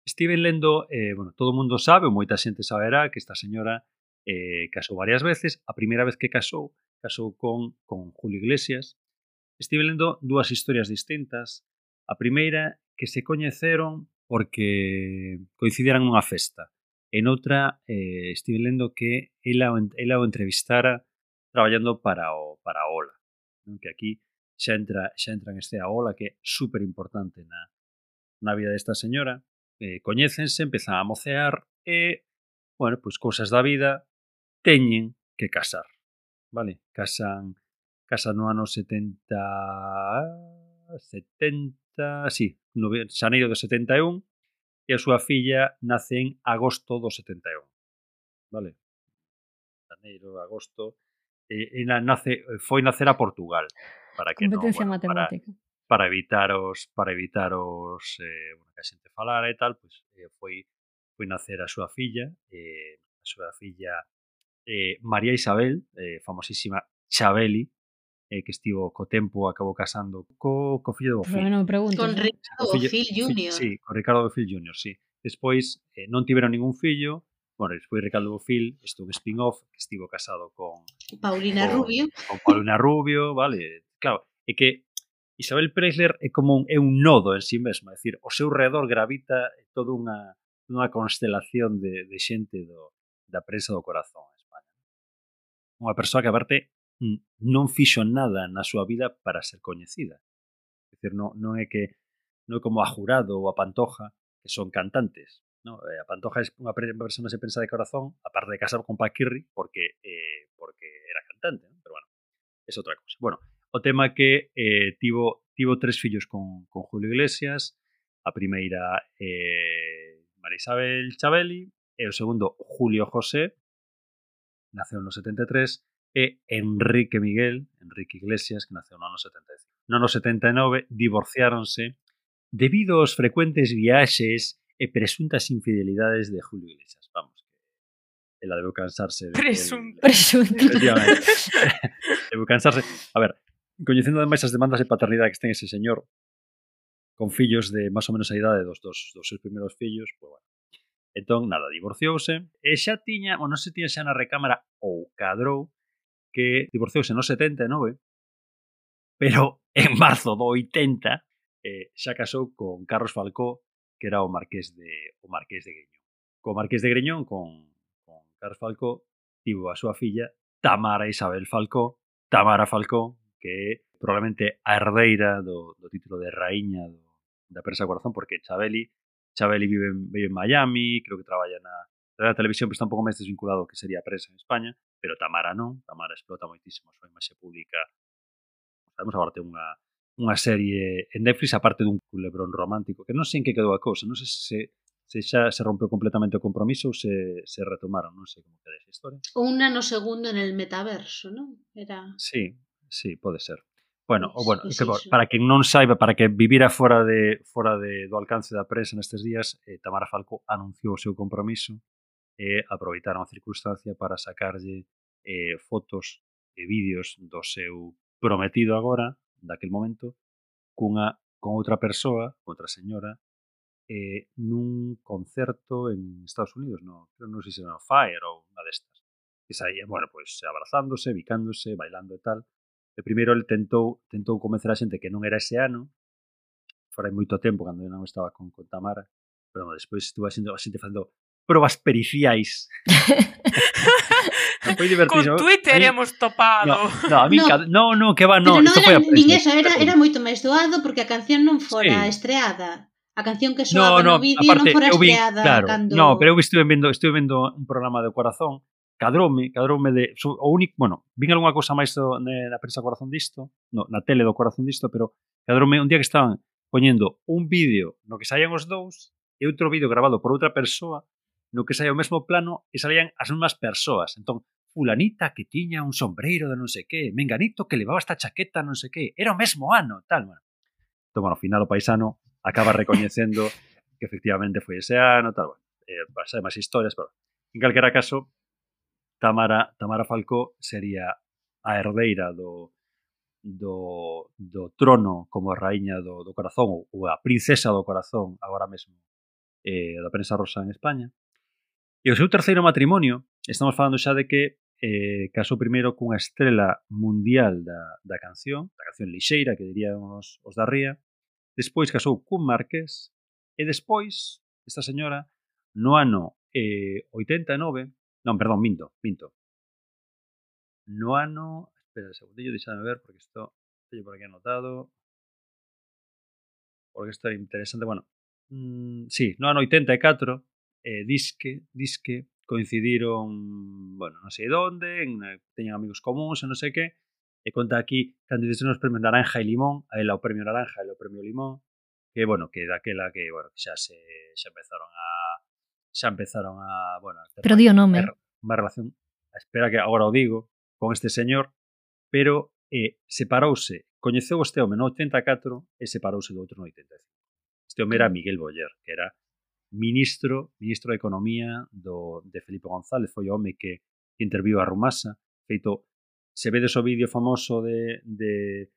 Estiven lendo, eh, bueno, todo o mundo sabe, ou moita xente saberá, que esta señora eh, casou varias veces. A primeira vez que casou, casou con, con Julio Iglesias. Estive lendo dúas historias distintas. A primeira, que se coñeceron porque coincidiran nunha festa. En outra, eh, estive lendo que ela, ela o entrevistara traballando para o, para a Ola. Non? Que aquí xa entra, xa entra en este a Ola, que é super importante na, na vida desta señora. Eh, coñécense, empezan a mocear e, bueno, pois cousas da vida, teñen que casar. Vale? Casan, casan no ano setenta... setenta... Sí, no xaneiro do setenta e un, e a súa filla nace en agosto do setenta e un. Vale? Xaneiro, agosto... E, e nace, foi nacer a Portugal. Para que Competencia no, bueno, matemática. Para, para evitar os... Para evitar os... Eh, bueno, que a xente falara e tal, pois eh, foi, foi nacer a súa filla, eh, a súa filla eh, María Isabel, eh, famosísima Chabeli, eh, que estivo co tempo, acabou casando co, co fillo do Pero Bofill. non me preguntes, Con eh? Ricardo Bofill júnior. Sí, con Ricardo Bofill júnior, sí. Despois eh, non tiveron ningún fillo. Bueno, despois Ricardo Bofill estuvo un spin-off que estivo casado con Paulina con, Rubio. con Paulina Rubio, vale. Claro, é que Isabel Preisler é como un, é un nodo en sí mesma, é dicir, o seu redor gravita toda unha, unha constelación de, de xente do, da prensa do corazón en España. Unha persoa que, aparte, non fixo nada na súa vida para ser coñecida. É dicir, non, non é que non é como a Jurado ou a Pantoja, que son cantantes. No? A Pantoja é unha persona que se pensa de corazón, aparte de casar con Paquirri, porque, eh, porque era cantante, ¿no? Pero bueno, é outra cosa. Bueno, o tema que eh, tivo, tivo tres fillos con, con Julio Iglesias. A primeira eh, María Isabel Chabeli, e o segundo Julio José, naceu no setenta e tres, e Enrique Miguel, Enrique Iglesias, que naceu no ano setenta e cinco. No ano setenta e nove divorciáronse debido aos frecuentes viaxes e presuntas infidelidades de Julio Iglesias. Vamos, que ela debeu cansarse de Presunto. Presunto. Efectivamente. Debeu cansarse. A ver, coñecendo ademais as demandas de paternidade que ten ese señor, con fillos de máis ou menos a idade dos, dos, dos seus primeiros fillos, pues bueno. Entón, nada, divorciouse, e xa tiña, ou non se tiña xa na recámara, ou cadrou, que divorciouse no setenta e nove, pero en marzo do oitenta eh, xa casou con Carlos Falcó, que era o marqués de o marqués de Greñón. Co marqués de Greñón, con, con Carlos Falcó, tivo a súa filla Tamara Isabel Falcó, Tamara Falcó, que é probablemente a herdeira do, do título de raíña do, da prensa corazón, porque Chabeli Chabeli vive en, vive en Miami, creo que traballa na, na televisión, pero está un pouco máis desvinculado ao que sería a prensa en España, pero Tamara non, Tamara explota moitísimo a súa imaxe pública. Sabemos agora ten unha, unha serie en Netflix, aparte dun culebrón romántico, que non sei en que quedou a cousa, non sei se, se xa se rompeu completamente o compromiso ou se, se retomaron, non sei como queda esa historia. Un nano segundo en el metaverso, non? Era... Sí, sí, pode ser. Bueno, Pues, o bueno, pues que, iso. para quen non saiba, para que vivira fora de fora de do alcance da prensa nestes días, eh, Tamara Falcó anunciou o seu compromiso e aproveitaron a circunstancia para sacarlle eh, fotos e vídeos do seu prometido agora, daquel momento, cunha con outra persoa, outra señora, eh, nun concerto en Estados Unidos, no, non sei se era no Fire ou unha destas. Que saía, bueno, pois pues, abrazándose, bicándose, bailando e tal. E primeiro ele tentou tentou convencer a xente que non era ese ano, fora moito tempo cando eu non estaba con, con Tamara, pero bueno, despois estuvo a xente, a xente facendo probas periciais. Foi divertido. Con Twitter hemos topado. No, no, a mí, No. no, no, que va, no, Pero non isto foi era a nin prensa. eso, era, era moito máis doado porque a canción non fora Sí. estreada. A canción que No, soaba no, no vídeo aparte, non fora eu vi, estreada claro, cando... no, pero eu estuve vendo, estuve vendo un programa de Corazón, cadroume, cadroume de, so, o único, bueno, vin algunha cousa máis do, ne, na prensa Corazón disto, no, na tele do Corazón disto, pero cadroume un día que estaban poñendo un vídeo no que saían os dous e outro vídeo grabado por outra persoa no que saía o mesmo plano e salían as mesmas persoas. Entón, fulanita que tiña un sombreiro de non sei que, menganito que levaba esta chaqueta non sei que, era o mesmo ano, tal, bueno. Entón, bueno, ao final o paisano acaba recoñecendo que efectivamente foi ese ano, tal, bueno. eh, sabe máis historias, pero en calquera caso, Tamara, Tamara Falcó sería a herdeira do, do, do trono como a raíña do, do corazón, ou a princesa do corazón, agora mesmo, eh, da prensa rosa en España. E o seu terceiro matrimonio, estamos falando xa de que eh, casou primeiro cunha estrela mundial da, da canción, da canción lixeira, que dirían os, os da Ría, despois casou cun marqués, e despois, esta señora, no ano eh, oitenta e nove, non, perdón, minto, minto, no ano, espera un segundillo, deixame ver, porque isto teño por aquí anotado, porque isto é interesante, bueno, mm, sí, no ano oitenta e catro, eh, disque, disque, coincidiron, bueno, non sei onde, en, teñen amigos comuns e non sei que, e conta aquí cando dicen os premios Naranja e Limón, a ela o premio Naranja e o premio Limón, que, bueno, que daquela que, bueno, xa se xa empezaron a xa empezaron a, bueno, a ter Pero di o nome. unha relación, espera que agora o digo, con este señor, pero eh, separouse, coñeceu este home no oitenta e catro e separouse do outro no oitenta e cinco. Este home era Miguel Boyer, que era ministro, ministro de Economía do, de Felipe González, foi o home que interviu a Rumasa, feito, se vedes o vídeo famoso de, de,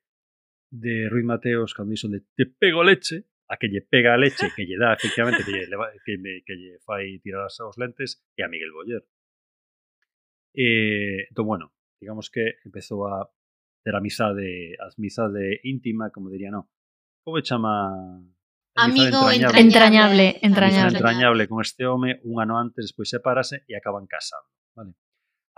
de Ruiz Mateos cando dixo de te pego leche, a que lle pega a leche, que lle dá, efectivamente, que lle, que, me, que lle fai tirar os lentes, e a Miguel Boyer. E, entón, bueno, digamos que empezou a ter amizade, amizade íntima, como diría, non, como chama... Amigo entrañable, entrañable, entrañable. entrañable con este home, un ano antes, despois sepárase e acaban casando, vale?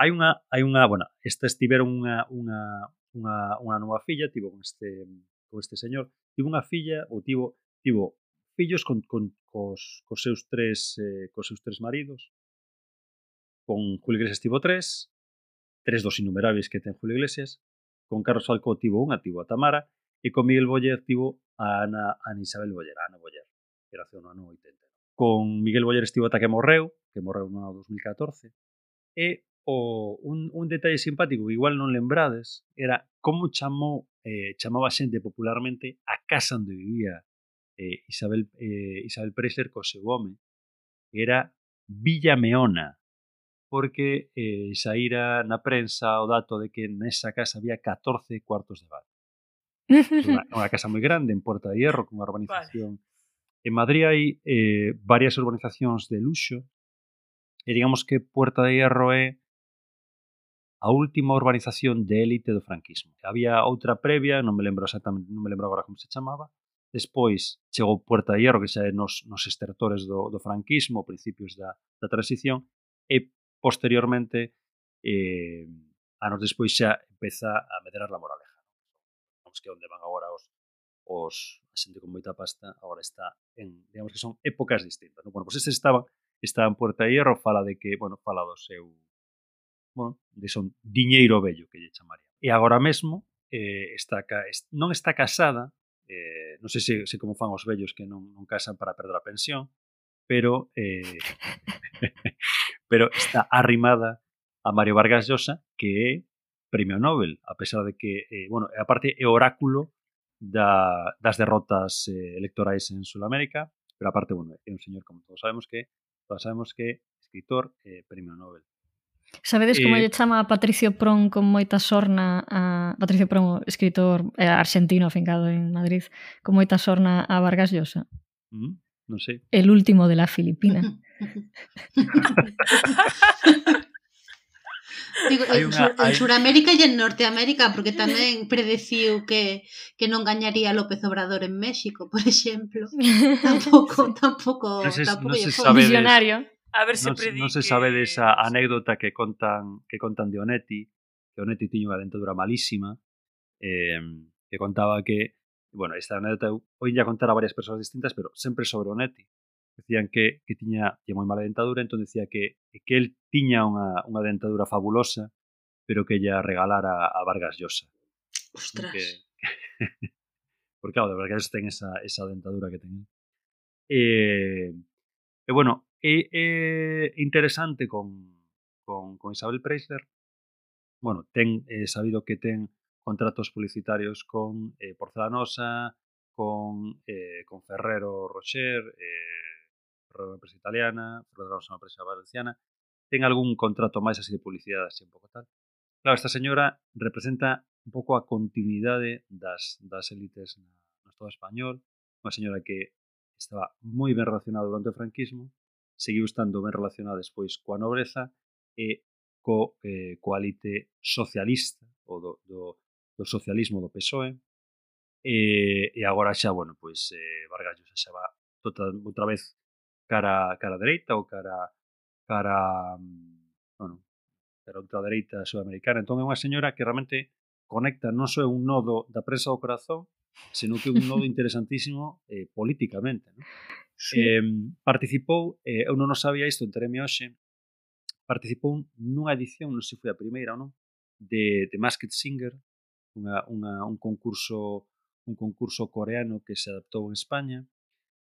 Hai unha, hai unha, bueno, estas tiveron unha, unha, unha, unha nova filla, tivo con este, con este señor, tivo unha filla, ou tivo, tivo fillos con, con, cos, cos seus tres, eh, cos seus tres maridos, con Julio Iglesias tivo tres, tres dos innumerables que ten Julio Iglesias, con Carlos Falcó tivo unha, tivo a Tamara, e con Miguel Boyer tivo a Ana, Ana Isabel Boyer, a Ana Boyer, que era no ano oitenta. Con Miguel Boyer estivo ata que morreu, que morreu no ano dos mil catorce, e o, un, un detalle simpático que igual non lembrades era como chamou, eh, chamaba xente popularmente a casa onde vivía eh, Isabel, eh, Isabel Preisler co seu home, que era Villa Meona, porque eh, saíra na prensa o dato de que nesa casa había catorce cuartos de baño. Unha, unha casa moi grande en Puerta de Hierro, con unha urbanización. Vale. En Madrid hai eh, varias urbanizacións de luxo, e digamos que Puerta de Hierro é a última urbanización de élite do franquismo. Había outra previa, non me lembro exactamente, non me lembro agora como se chamaba. Despois chegou Puerta de Hierro, que xa é nos, nos estertores do, do franquismo, principios da, da transición, e posteriormente, eh, anos despois xa empeza a medrar la Moraleja. Que onde van agora os, os a xente con moita pasta, agora está en, digamos que son épocas distintas, ¿no? Bueno, pois pues estes estaban, estaban en Puerta de Hierro, fala de que, bueno, fala do seu, bueno, de son diñeiro vello, que lle chamaría. E agora mesmo, eh, está, non está casada, eh, non sei se, se como fan os vellos que non, non casan para perder a pensión, pero, eh, pero está arrimada a Mario Vargas Llosa, que é premio Nobel, a pesar de que, eh, bueno, aparte é oráculo da, das derrotas eh, electorais en Sudamérica, pero aparte, bueno, é un señor, como todos sabemos que, todos sabemos que escritor e eh, premio Nobel. Sabedes como eh, lle chama a Patricio Prón con moita sorna a Patricio Prón, escritor eh, argentino afincado en Madrid, con moita sorna a Vargas Llosa? Mm, non sei. El último de la Filipina. Digo, en, una, en Suramérica e en Norteamérica, porque tamén predeciu que, que non gañaría López Obrador en México, por exemplo. Tampouco, tampouco, non se, tampouco non se foi visionario. A ver se non, predique... non se sabe desa anécdota que contan que contan de Onetti, que Onetti tiña unha dentadura malísima, eh, que contaba que, bueno, esta anécdota hoy ya contar a varias persoas distintas, pero sempre sobre Onetti. Decían que, que tiña, tiña moi mala dentadura, entón decía que, que el tiña unha, unha dentadura fabulosa, pero que ella regalara a Vargas Llosa. Ostras. Que, que, porque, claro, de Vargas Llosa ten esa, esa dentadura que ten. E, e bueno, é, é interesante con, con, con Isabel Preisler. Bueno, ten eh, sabido que ten contratos publicitarios con eh, Porcelanosa, con, eh, con Ferrero Rocher, eh, Ferrero é unha empresa italiana, Ferrero é unha empresa valenciana, ten algún contrato máis así de publicidade, así un pouco tal. Claro, esta señora representa un pouco a continuidade das, das élites na, no Estado español, unha señora que estaba moi ben relacionada durante o franquismo, seguiu estando ben relacionada despois coa nobreza e co, eh, coa elite socialista, ou do, do, do socialismo do P S O E, e, e agora xa, bueno, pois eh, Vargas Llosa xa va tota, outra vez cara, cara dereita ou cara, cara, bueno, cara ultradereita sudamericana. Entón é unha señora que realmente conecta non só un nodo da prensa do corazón, senón que un nodo interesantísimo eh, políticamente, non? Sí. Eh, participou, eh, eu non o sabía isto, entereme hoxe, participou nunha edición, non sei se foi a primeira ou non, de, de Masked Singer, unha, unha, un concurso un concurso coreano que se adaptou en España,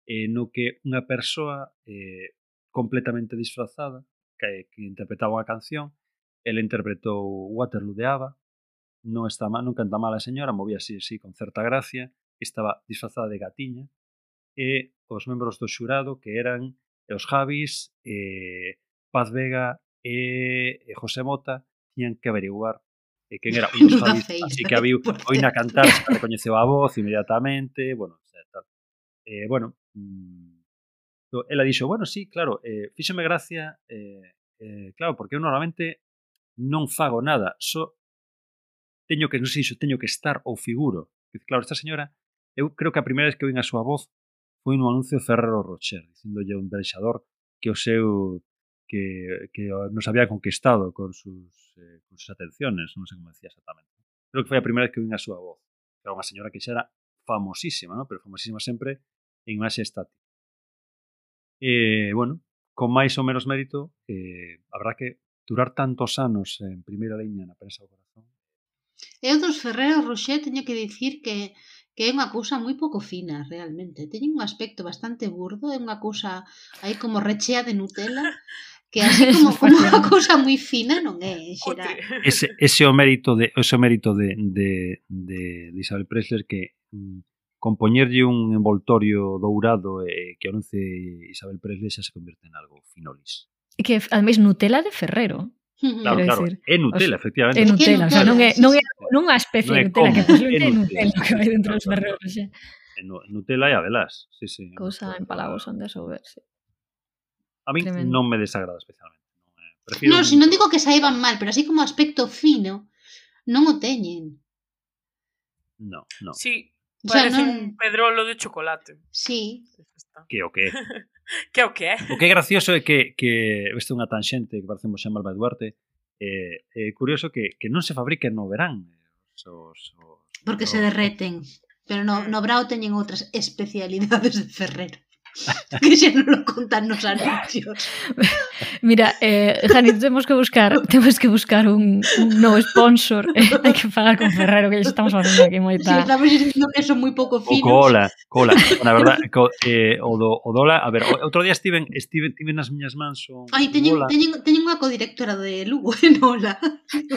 eh, no que unha persoa eh, completamente disfrazada que, que interpretaba unha canción, ele interpretou Waterloo de ABBA, non está mal, non canta mal a señora, movía así, así con certa gracia, estaba disfrazada de gatiña, e os membros do xurado que eran os Javis, eh, Paz Vega e, e José Mota tiñan que averiguar eh, quen era un dos Javis, así que había oína cantar, se recoñeceu a voz inmediatamente, bueno, tal. Eh, bueno, mmm, ela dixo, bueno, sí, claro, eh, fíxome gracia, eh, eh, claro, porque eu normalmente non fago nada, só teño que, non sei, teño que estar ou figuro. Claro, esta señora, eu creo que a primeira vez que oín a súa voz foi no anuncio de Ferrero Rocher, dicíndolle ao embaixador que o seu que, que nos había conquistado con sus, eh, con sus atenciones, non sei como decía exactamente. Creo que foi a primeira vez que oín a súa voz. Era unha señora que xa era famosísima, ¿no? Pero famosísima sempre en imaxe estática. E, bueno, con máis ou menos mérito, eh, habrá que durar tantos anos en primeira liña na prensa do corazón. Eu dos Ferrero Rocher teño que dicir que que é unha cousa moi pouco fina, realmente. Teñen un aspecto bastante burdo, é unha cousa aí como rechea de Nutella, que así como, como unha cousa moi fina non é, en xeral. Ese, ese o mérito de ese o mérito de, de, de, de Isabel Presley que mm, compoñerlle un envoltorio dourado e eh, que anuncie Isabel Presley xa se convierte en algo finolis. E que, ademais, Nutella de Ferrero. Claro, claro, decir, é Nutella, efectivamente. É Nutella, o sea, non é, non é, non é a especie non é de Nutella, como, que posiblemente é é Nutella, Nutella que vai dentro dos Ferrero Rocher. Nutella e Abelas, sí, sí. Cousa en palabras onde souber, sí. A mí Tremendo. non me desagrada especialmente. Non, si non digo que saiban mal, pero así como aspecto fino, non o teñen. No, no. Sí, O sea, parece non... un pedrolo de chocolate. Sí. Que o que? Que o que? O que é gracioso é que, que este é unha tanxente que parecemos xa Malva Duarte, é eh, eh, curioso que, que non se fabriquen no verán. Os, os, os, Porque os, se derreten. Pero no, no Brao teñen outras especialidades de Ferrero. Que xa non lo contan nos anuncios. Mira, eh, Jani, temos que buscar temos que buscar un, un novo sponsor. Eh, hai que falar con Ferrero, que estamos facendo aquí moita... Si, estamos dicindo que son moi pouco finos. O cola, cola. Na verdad, co, eh, o, do, o dola... A ver, outro día estiven, estiven, estiven nas miñas mans o Ai, teñen, teñen, teñen unha codirectora de Lugo, en Ola.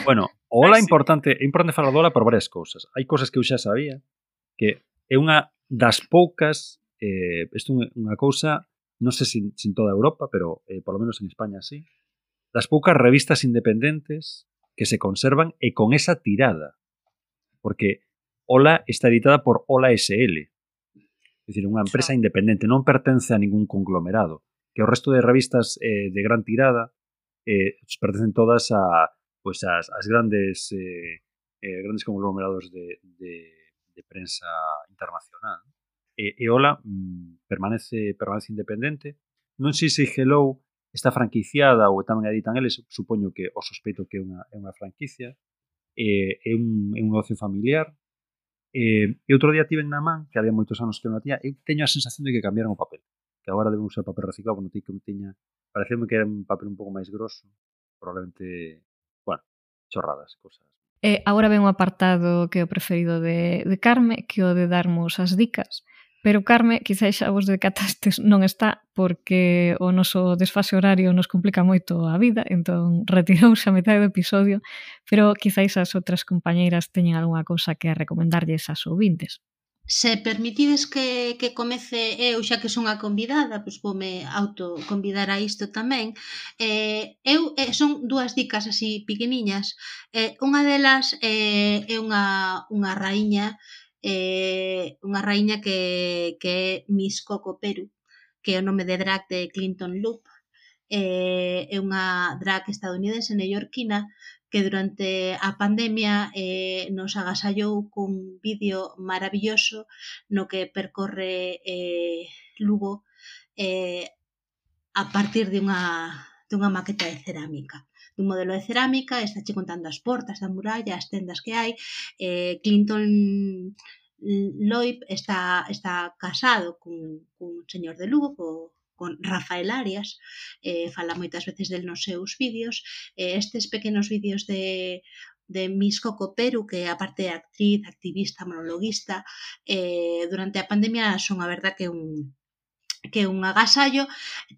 Bueno, o Ola é importante, é importante falar do Ola por varias cousas. Hai cousas que eu xa sabía, que é unha das poucas... Eh, isto é unha cousa, non sei se en toda Europa, pero eh, por lo menos en España sí, das poucas revistas independentes que se conservan e con esa tirada. Porque Ola está editada por Ola S L, é dicir, unha empresa independente, non pertence a ningún conglomerado, que o resto de revistas eh, de gran tirada eh, pertencen todas a pues, as, as grandes eh, eh, grandes conglomerados de, de, de prensa internacional. E, e Ola mm, permanece permanece independente. Non sei se Hello está franquiciada ou tamén editan eles, supoño que o sospeito que é unha, é unha franquicia. E, é, un, é un negocio familiar. E, e outro día tiven na man, que había moitos anos que non a tiña, e teño a sensación de que cambiaron o papel. Que agora deben usar papel reciclado, non que tiña, pareceume que era un papel un pouco máis grosso. Probablemente, bueno, chorradas, cosas. E agora ven un apartado que é o preferido de, de Carme, que o de darmos as dicas. Pero Carme, quizás xa vos decatastes, non está porque o noso desfase horario nos complica moito a vida, entón retirouse a metade do episodio, pero quizás as outras compañeiras teñen algunha cousa que recomendarlles ás ouvintes. Se permitides que, que comece eu, xa que son a convidada, pois voume autoconvidar a isto tamén. Eh, eu, eh, son dúas dicas así pequeniñas. Eh, unha delas eh, é unha, unha raíña eh, unha raíña que, que é Miss Coco Peru, que é o nome de drag de Clinton Loop. Eh, é unha drag estadounidense neoyorquina que durante a pandemia eh, nos agasallou cun vídeo maravilloso no que percorre eh, Lugo eh, a partir de unha, de unha maqueta de cerámica dun modelo de cerámica, está che contando as portas da muralla, as tendas que hai. eh, Clinton Loip está, está casado cun, cun señor de Lugo, co, con Rafael Arias, eh, fala moitas veces del nos seus vídeos. Eh, estes pequenos vídeos de, de Miss Coco Peru, que aparte de actriz, activista, monologuista, eh, durante a pandemia son a verdad que un que é un agasallo.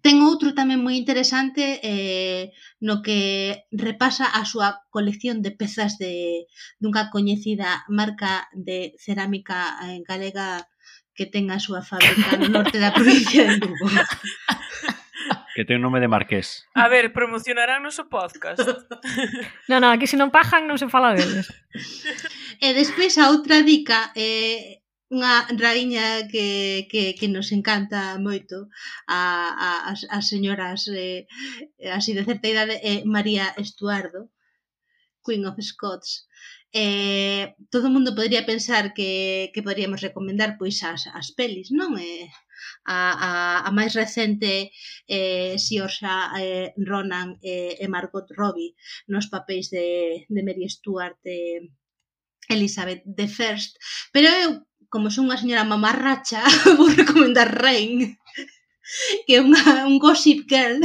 Ten outro tamén moi interesante eh, no que repasa a súa colección de pezas de dunha coñecida marca de cerámica eh, galega que ten a súa fábrica no norte da provincia de Lugo. Que ten nome de Marqués. A ver, promocionarán noso podcast. Non, non, aquí se non pagan non se fala deles. E despois a outra dica é eh, unha raíña que, que, que nos encanta moito a, a, as, as señoras eh, así de certa idade é María Estuardo, Queen of Scots. Eh, todo o mundo podría pensar que, que poderíamos recomendar pois as, as pelis, non? Eh, a, a, a máis recente eh, Saoirse eh, Ronan eh, e Margot Robbie nos papéis de, de Mary Stuart e Elizabeth the First, pero eu, como son unha señora mamarracha, vou recomendar Reign, que é unha, un gossip girl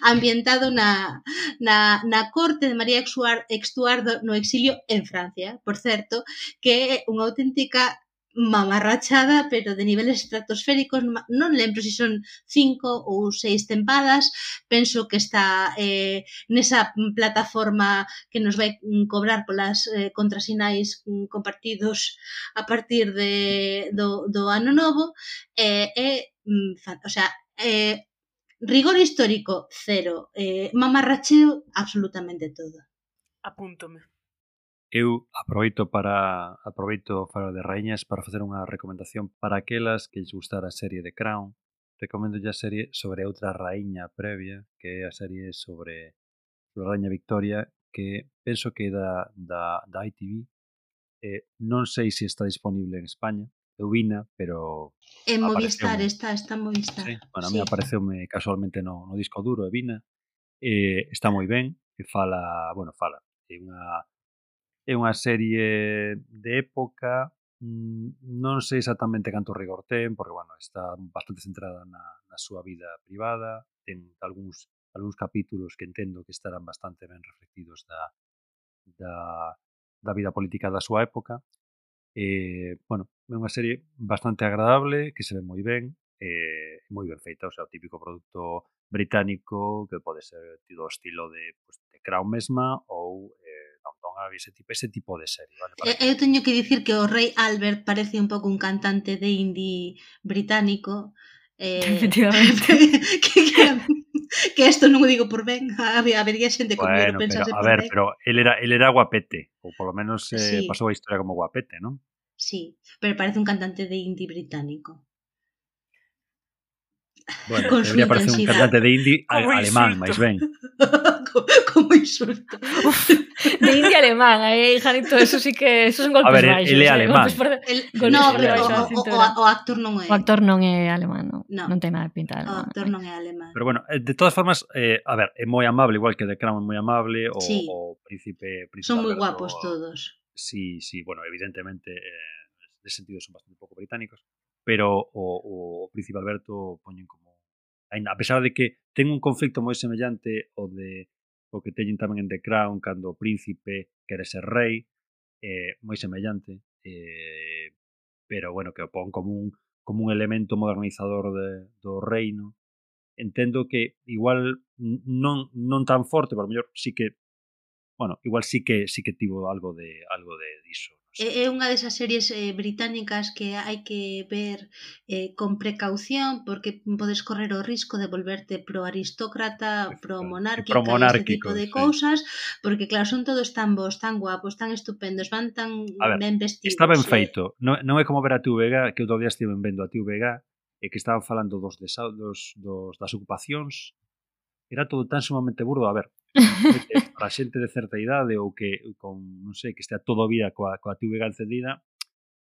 ambientado na, na, na corte de María Estuardo no exilio en Francia, por certo, que é unha auténtica mamarrachada, pero de niveles estratosféricos. Non lembro se si son cinco ou seis tempadas, penso que está eh, nesa plataforma que nos vai cobrar polas eh, contrasinais mm, compartidos a partir de, do, do ano novo. E eh, eh, o sea, eh, rigor histórico cero, eh, mamarracheo absolutamente todo. Apúntome. Eu aproveito para aproveito faro de raíñas para facer unha recomendación para aquelas que lles gustara a serie de Crown. Recomendo a serie sobre outra raíña previa, que é a serie sobre, sobre a raíña Victoria, que penso que é da, da, da I T V. Eh, non sei se está disponible en España. Eu vina, pero en Movistar está, está en Movistar. Sí, bueno, a mí sí. Apareceume casualmente no, no disco duro e vina. Eh, está moi ben, e fala, bueno, fala, é unha É unha serie de época, non sei exactamente canto rigor ten, porque, bueno, está bastante centrada na, na súa vida privada, ten algúns, algúns capítulos que entendo que estarán bastante ben reflectidos da, da, da vida política da súa época. E, bueno, é unha serie bastante agradable, que se ve moi ben, e moi ben feita, o sea, o típico produto británico que pode ser do estilo de, pues, de Crown mesma ou eh, ese tipo, ese tipo de serie, vale? Para eu teño que dicir que o rei Albert parece un pouco un cantante de indie británico. Eh, Efectivamente. que, que, que isto non o digo por ben, habería xente como bueno, eu pensase pero, por a ver, ben. pero él era, él era guapete, ou polo menos eh, sí. pasou a historia como guapete, non? Sí, pero parece un cantante de indie británico. Bueno, debería parecer un cantante de indie alemán, máis ben. Como insulto. Uf, de indie alemán, aí, Janito, eso sí que eso son golpes baixos. A ver, baixos, ele é alemán. Por, el, no, pero o, o, o actor non é. O actor non é alemán, non. No. Non ten nada de pinta de alemán. O actor non é alemán. Pero bueno, de todas formas, eh, a ver, é moi amable, igual que The Crown é moi amable, o, sí. o Príncipe, Príncipe Son moi Alberto, guapos todos. Sí, sí, bueno, evidentemente, eh, de sentido son bastante pouco británicos, pero o, o Príncipe Alberto poñen como a pesar de que ten un conflicto moi semellante o de o que teñen tamén en The Crown cando o príncipe quere ser rei, eh, moi semellante, eh, pero bueno, que o pon como un, como un elemento modernizador de, do reino. Entendo que igual non, non tan forte, pero mellor sí que bueno, igual sí que sí que tivo algo de algo de diso. É unha desas series eh, británicas que hai que ver eh, con precaución porque podes correr o risco de volverte pro aristócrata, pro monárquica pro e este tipo de sí. cousas, porque claro, son todos tan bons, tan guapos, tan estupendos, van tan ver, ben vestidos. Está ben eh. feito, non, non é como ver a T V G, que outro día estiven vendo a T V G e que estaban falando dos, desa, dos, dos das ocupacións, era todo tan sumamente burdo, a ver, para xente de certa idade ou que con, non sei, que estea todo o vida coa, coa T V G encendida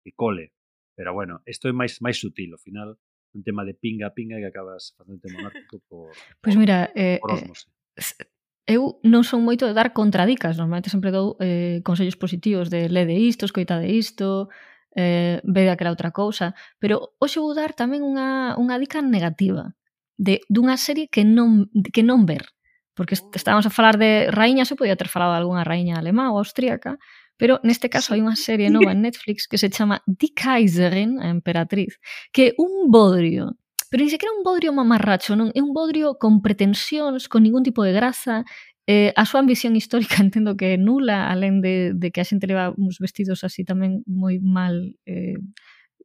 e cole, pero bueno, isto é máis máis sutil, ao final un tema de pinga pinga que acabas facendo monárquico por Pois pues mira, eh, por osmose. Eh, eu non son moito de dar contradicas, normalmente sempre dou eh, consellos positivos de lede isto, escoitade isto, eh, vede aquela outra cousa, pero hoxe vou dar tamén unha, unha dica negativa de dunha serie que non, que non ver. Porque estábamos a falar de raíñas, eu podía ter falado de algunha raíña alemá ou austríaca, pero neste caso hai unha serie nova en Netflix que se chama Die Kaiserin, a emperatriz, que é un bodrio, pero ni sequera un bodrio mamarracho, non? É un bodrio con pretensións, con ningún tipo de graza, eh, a súa ambición histórica entendo que é nula, alén de, de que a xente leva uns vestidos así tamén moi mal, eh,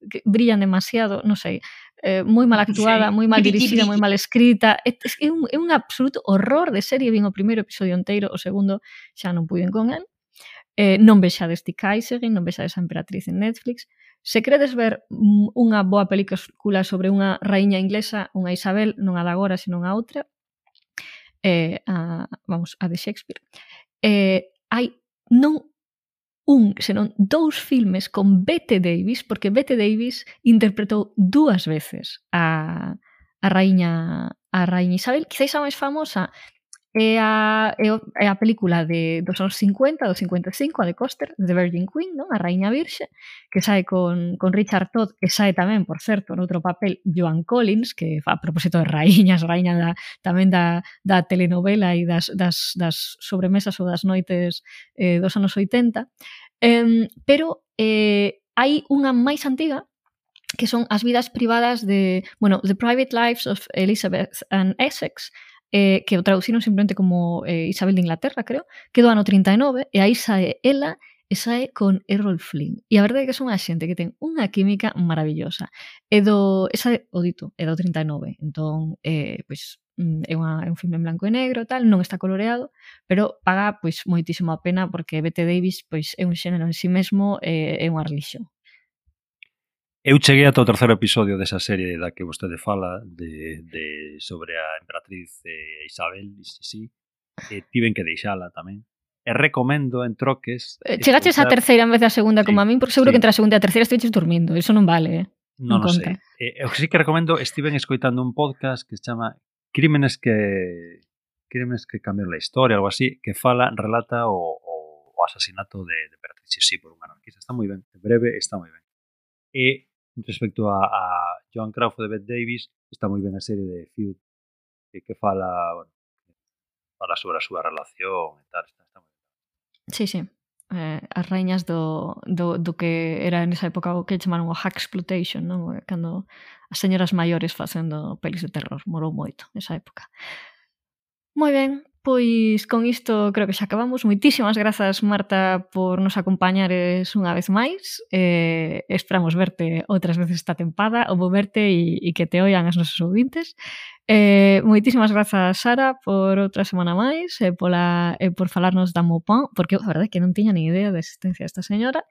que brillan demasiado, non sei, eh, moi mal actuada, moi mal dirixida, moi mal escrita, é, é, un, é un absoluto horror de serie, vin o primeiro episodio inteiro, o segundo xa non puiden con el, eh, non vexades Die Kaiserin, non vexades a emperatriz en Netflix. Se queredes ver unha boa película sobre unha raíña inglesa, unha Isabel, non a de agora, senón a outra, eh, a, vamos, a de Shakespeare, eh, hai non un, senón dous filmes con Bette Davis, porque Bette Davis interpretou dúas veces a, a raíña a raíña Isabel. Quizáis a máis famosa é a, é a película de, dos anos cincuenta, do cincuenta e cinco, a de Coster, The Virgin Queen, non? A raíña virxe, que sae con, con Richard Todd, que sae tamén, por certo, noutro papel, Joan Collins, que a propósito de raíñas, raíña da, tamén da, da telenovela e das, das, das sobremesas ou das noites eh, dos anos oitenta. Um, pero eh, hai unha máis antiga que son as vidas privadas de, bueno, The Private Lives of Elizabeth and Essex, eh, que o traduciron simplemente como eh, Isabel de Inglaterra, creo, que do ano trinta e nove, e aí sae ela e sae con Errol Flynn. E a verdade é que son unha xente que ten unha química maravillosa. E do, esa, o dito, é do trinta e nove, entón, eh, pois, é, unha, é un filme en blanco e negro, tal, non está coloreado, pero paga pois moitísimo a pena porque Bette Davis pois é un xénero en si mesmo, e é unha religión. Eu cheguei ata o terceiro episodio desa serie da que vostede fala de, de sobre a emperatriz eh, Isabel, sí, sí, e tiven que deixala tamén. E recomendo en troques... Eh, chegaches a terceira en vez da segunda, sí, como a min, porque seguro sí, que entre a segunda e a terceira estiveches dormindo, eso non vale, eh? Non, non sei. Eh, o que sí que recomendo, estiven escoitando un podcast que se chama Crímenes que Crímenes que cambiaron la historia, algo así, que fala, relata o, o, o asasinato de, de emperatriz, sí, por un anarquista. Está moi ben, en breve, está moi ben. E respecto a, a Joan Crawford de Bette Davis, está moi ben a serie de Feud, que, que fala, bueno, fala sobre a súa relación e tal, está, está moi ben. Sí, sí. Eh, as raíñas do, do, do que era nesa época o que chamaron o Haxploitation, non? Cando as señoras maiores facendo pelis de terror, morou moito nesa época. Moi ben, pois con isto creo que xa acabamos. Moitísimas grazas, Marta, por nos acompañares unha vez máis. Eh, esperamos verte outras veces esta tempada, ou vou verte e, e que te oian as nosos ouvintes. Eh, moitísimas grazas, Sara, por outra semana máis, e, pola, e por falarnos da Maupin, porque a verdade é que non tiña ni idea da existencia desta señora.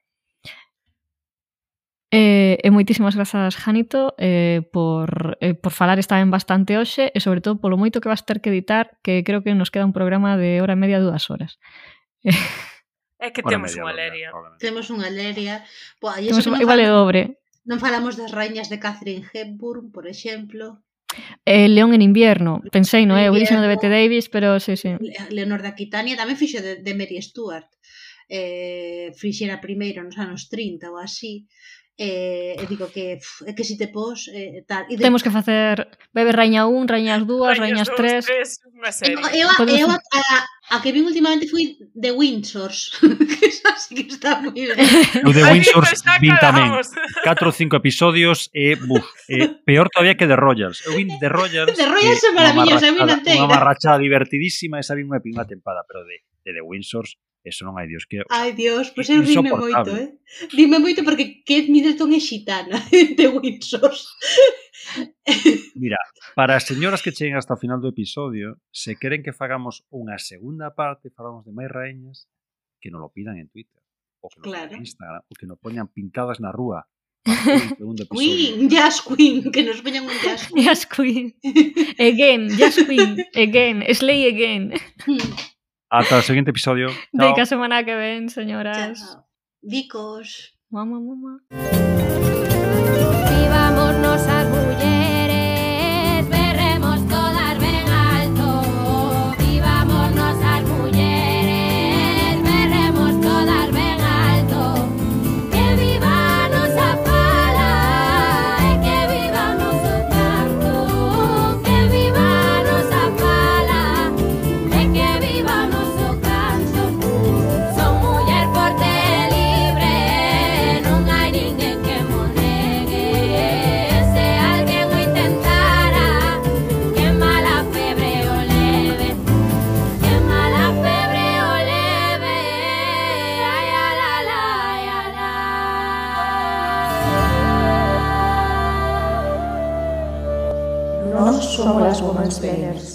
E, e moitísimas grazas, Janito, eh, por, eh, por falar esta ben bastante hoxe, e sobre todo polo moito que vas ter que editar, que creo que nos queda un programa de hora e media, dúas horas. É que temos unha leria. Temos unha leria. Boa, e temos, igual é dobre. Non falamos das raíñas de Catherine Hepburn, por exemplo. Eh, León en invierno, pensei, non é? O dixen de Bette Davis, pero sí, sí. Leonor de Aquitania tamén fixo de, de Mary Stuart. Eh, fixera primeiro nos anos trinta ou así. E, e digo que pff, é que si te pos eh, tal. E de... Temos que facer Bebe Raña un, Rañas dúas, Rañas tres. Unha serie. Eu, eu, eu a, a, a que vi últimamente foi The Windsors. Que esa sí que está moi ben. O The Windsors vin tamén catro ou cinco episodios e, buf, e peor todavía que The Royals. Eu vin The Royals. The Royals é maravillosa, eu vin Unha inteira. marrachada divertidísima, esa vin unha pinga tempada, pero de, de The Windsors eso non hai Dios que... O sea, ai, Dios, pois eu rime moito, eh? Rime moito porque Kate Middleton é xitana de Windsors. Mira, para as señoras que cheguen hasta o final do episodio, se queren que fagamos unha segunda parte, falamos de máis raíñas, que nos lo pidan en Twitter, ou que nos claro. en Instagram, ou que nos poñan pintadas na rúa. Queen, Jazz Queen, que nos poñan un Jazz Queen. Jazz Queen. Again, Jazz Queen. Again, Slay again. Ata o seguinte episodio. Chao. Deica semana que ven, señoras. Chao. Vicos. Mamá, mamá. Vivámonos as mulleres, berremos todas ben alto. Vivámonos as mulleres, berremos todas ben alto. Que viva a nosa fala e que viva o noso canto. Que viva a nosa fala e que viva o noso canto. Son muller forte e libre, non hai ninguén que mo negue. Se alguén o intentara, que mala febre o leve, que mala febre o leve. Ai, ala, ala, ai, ala. Nós somos as Womansplainers.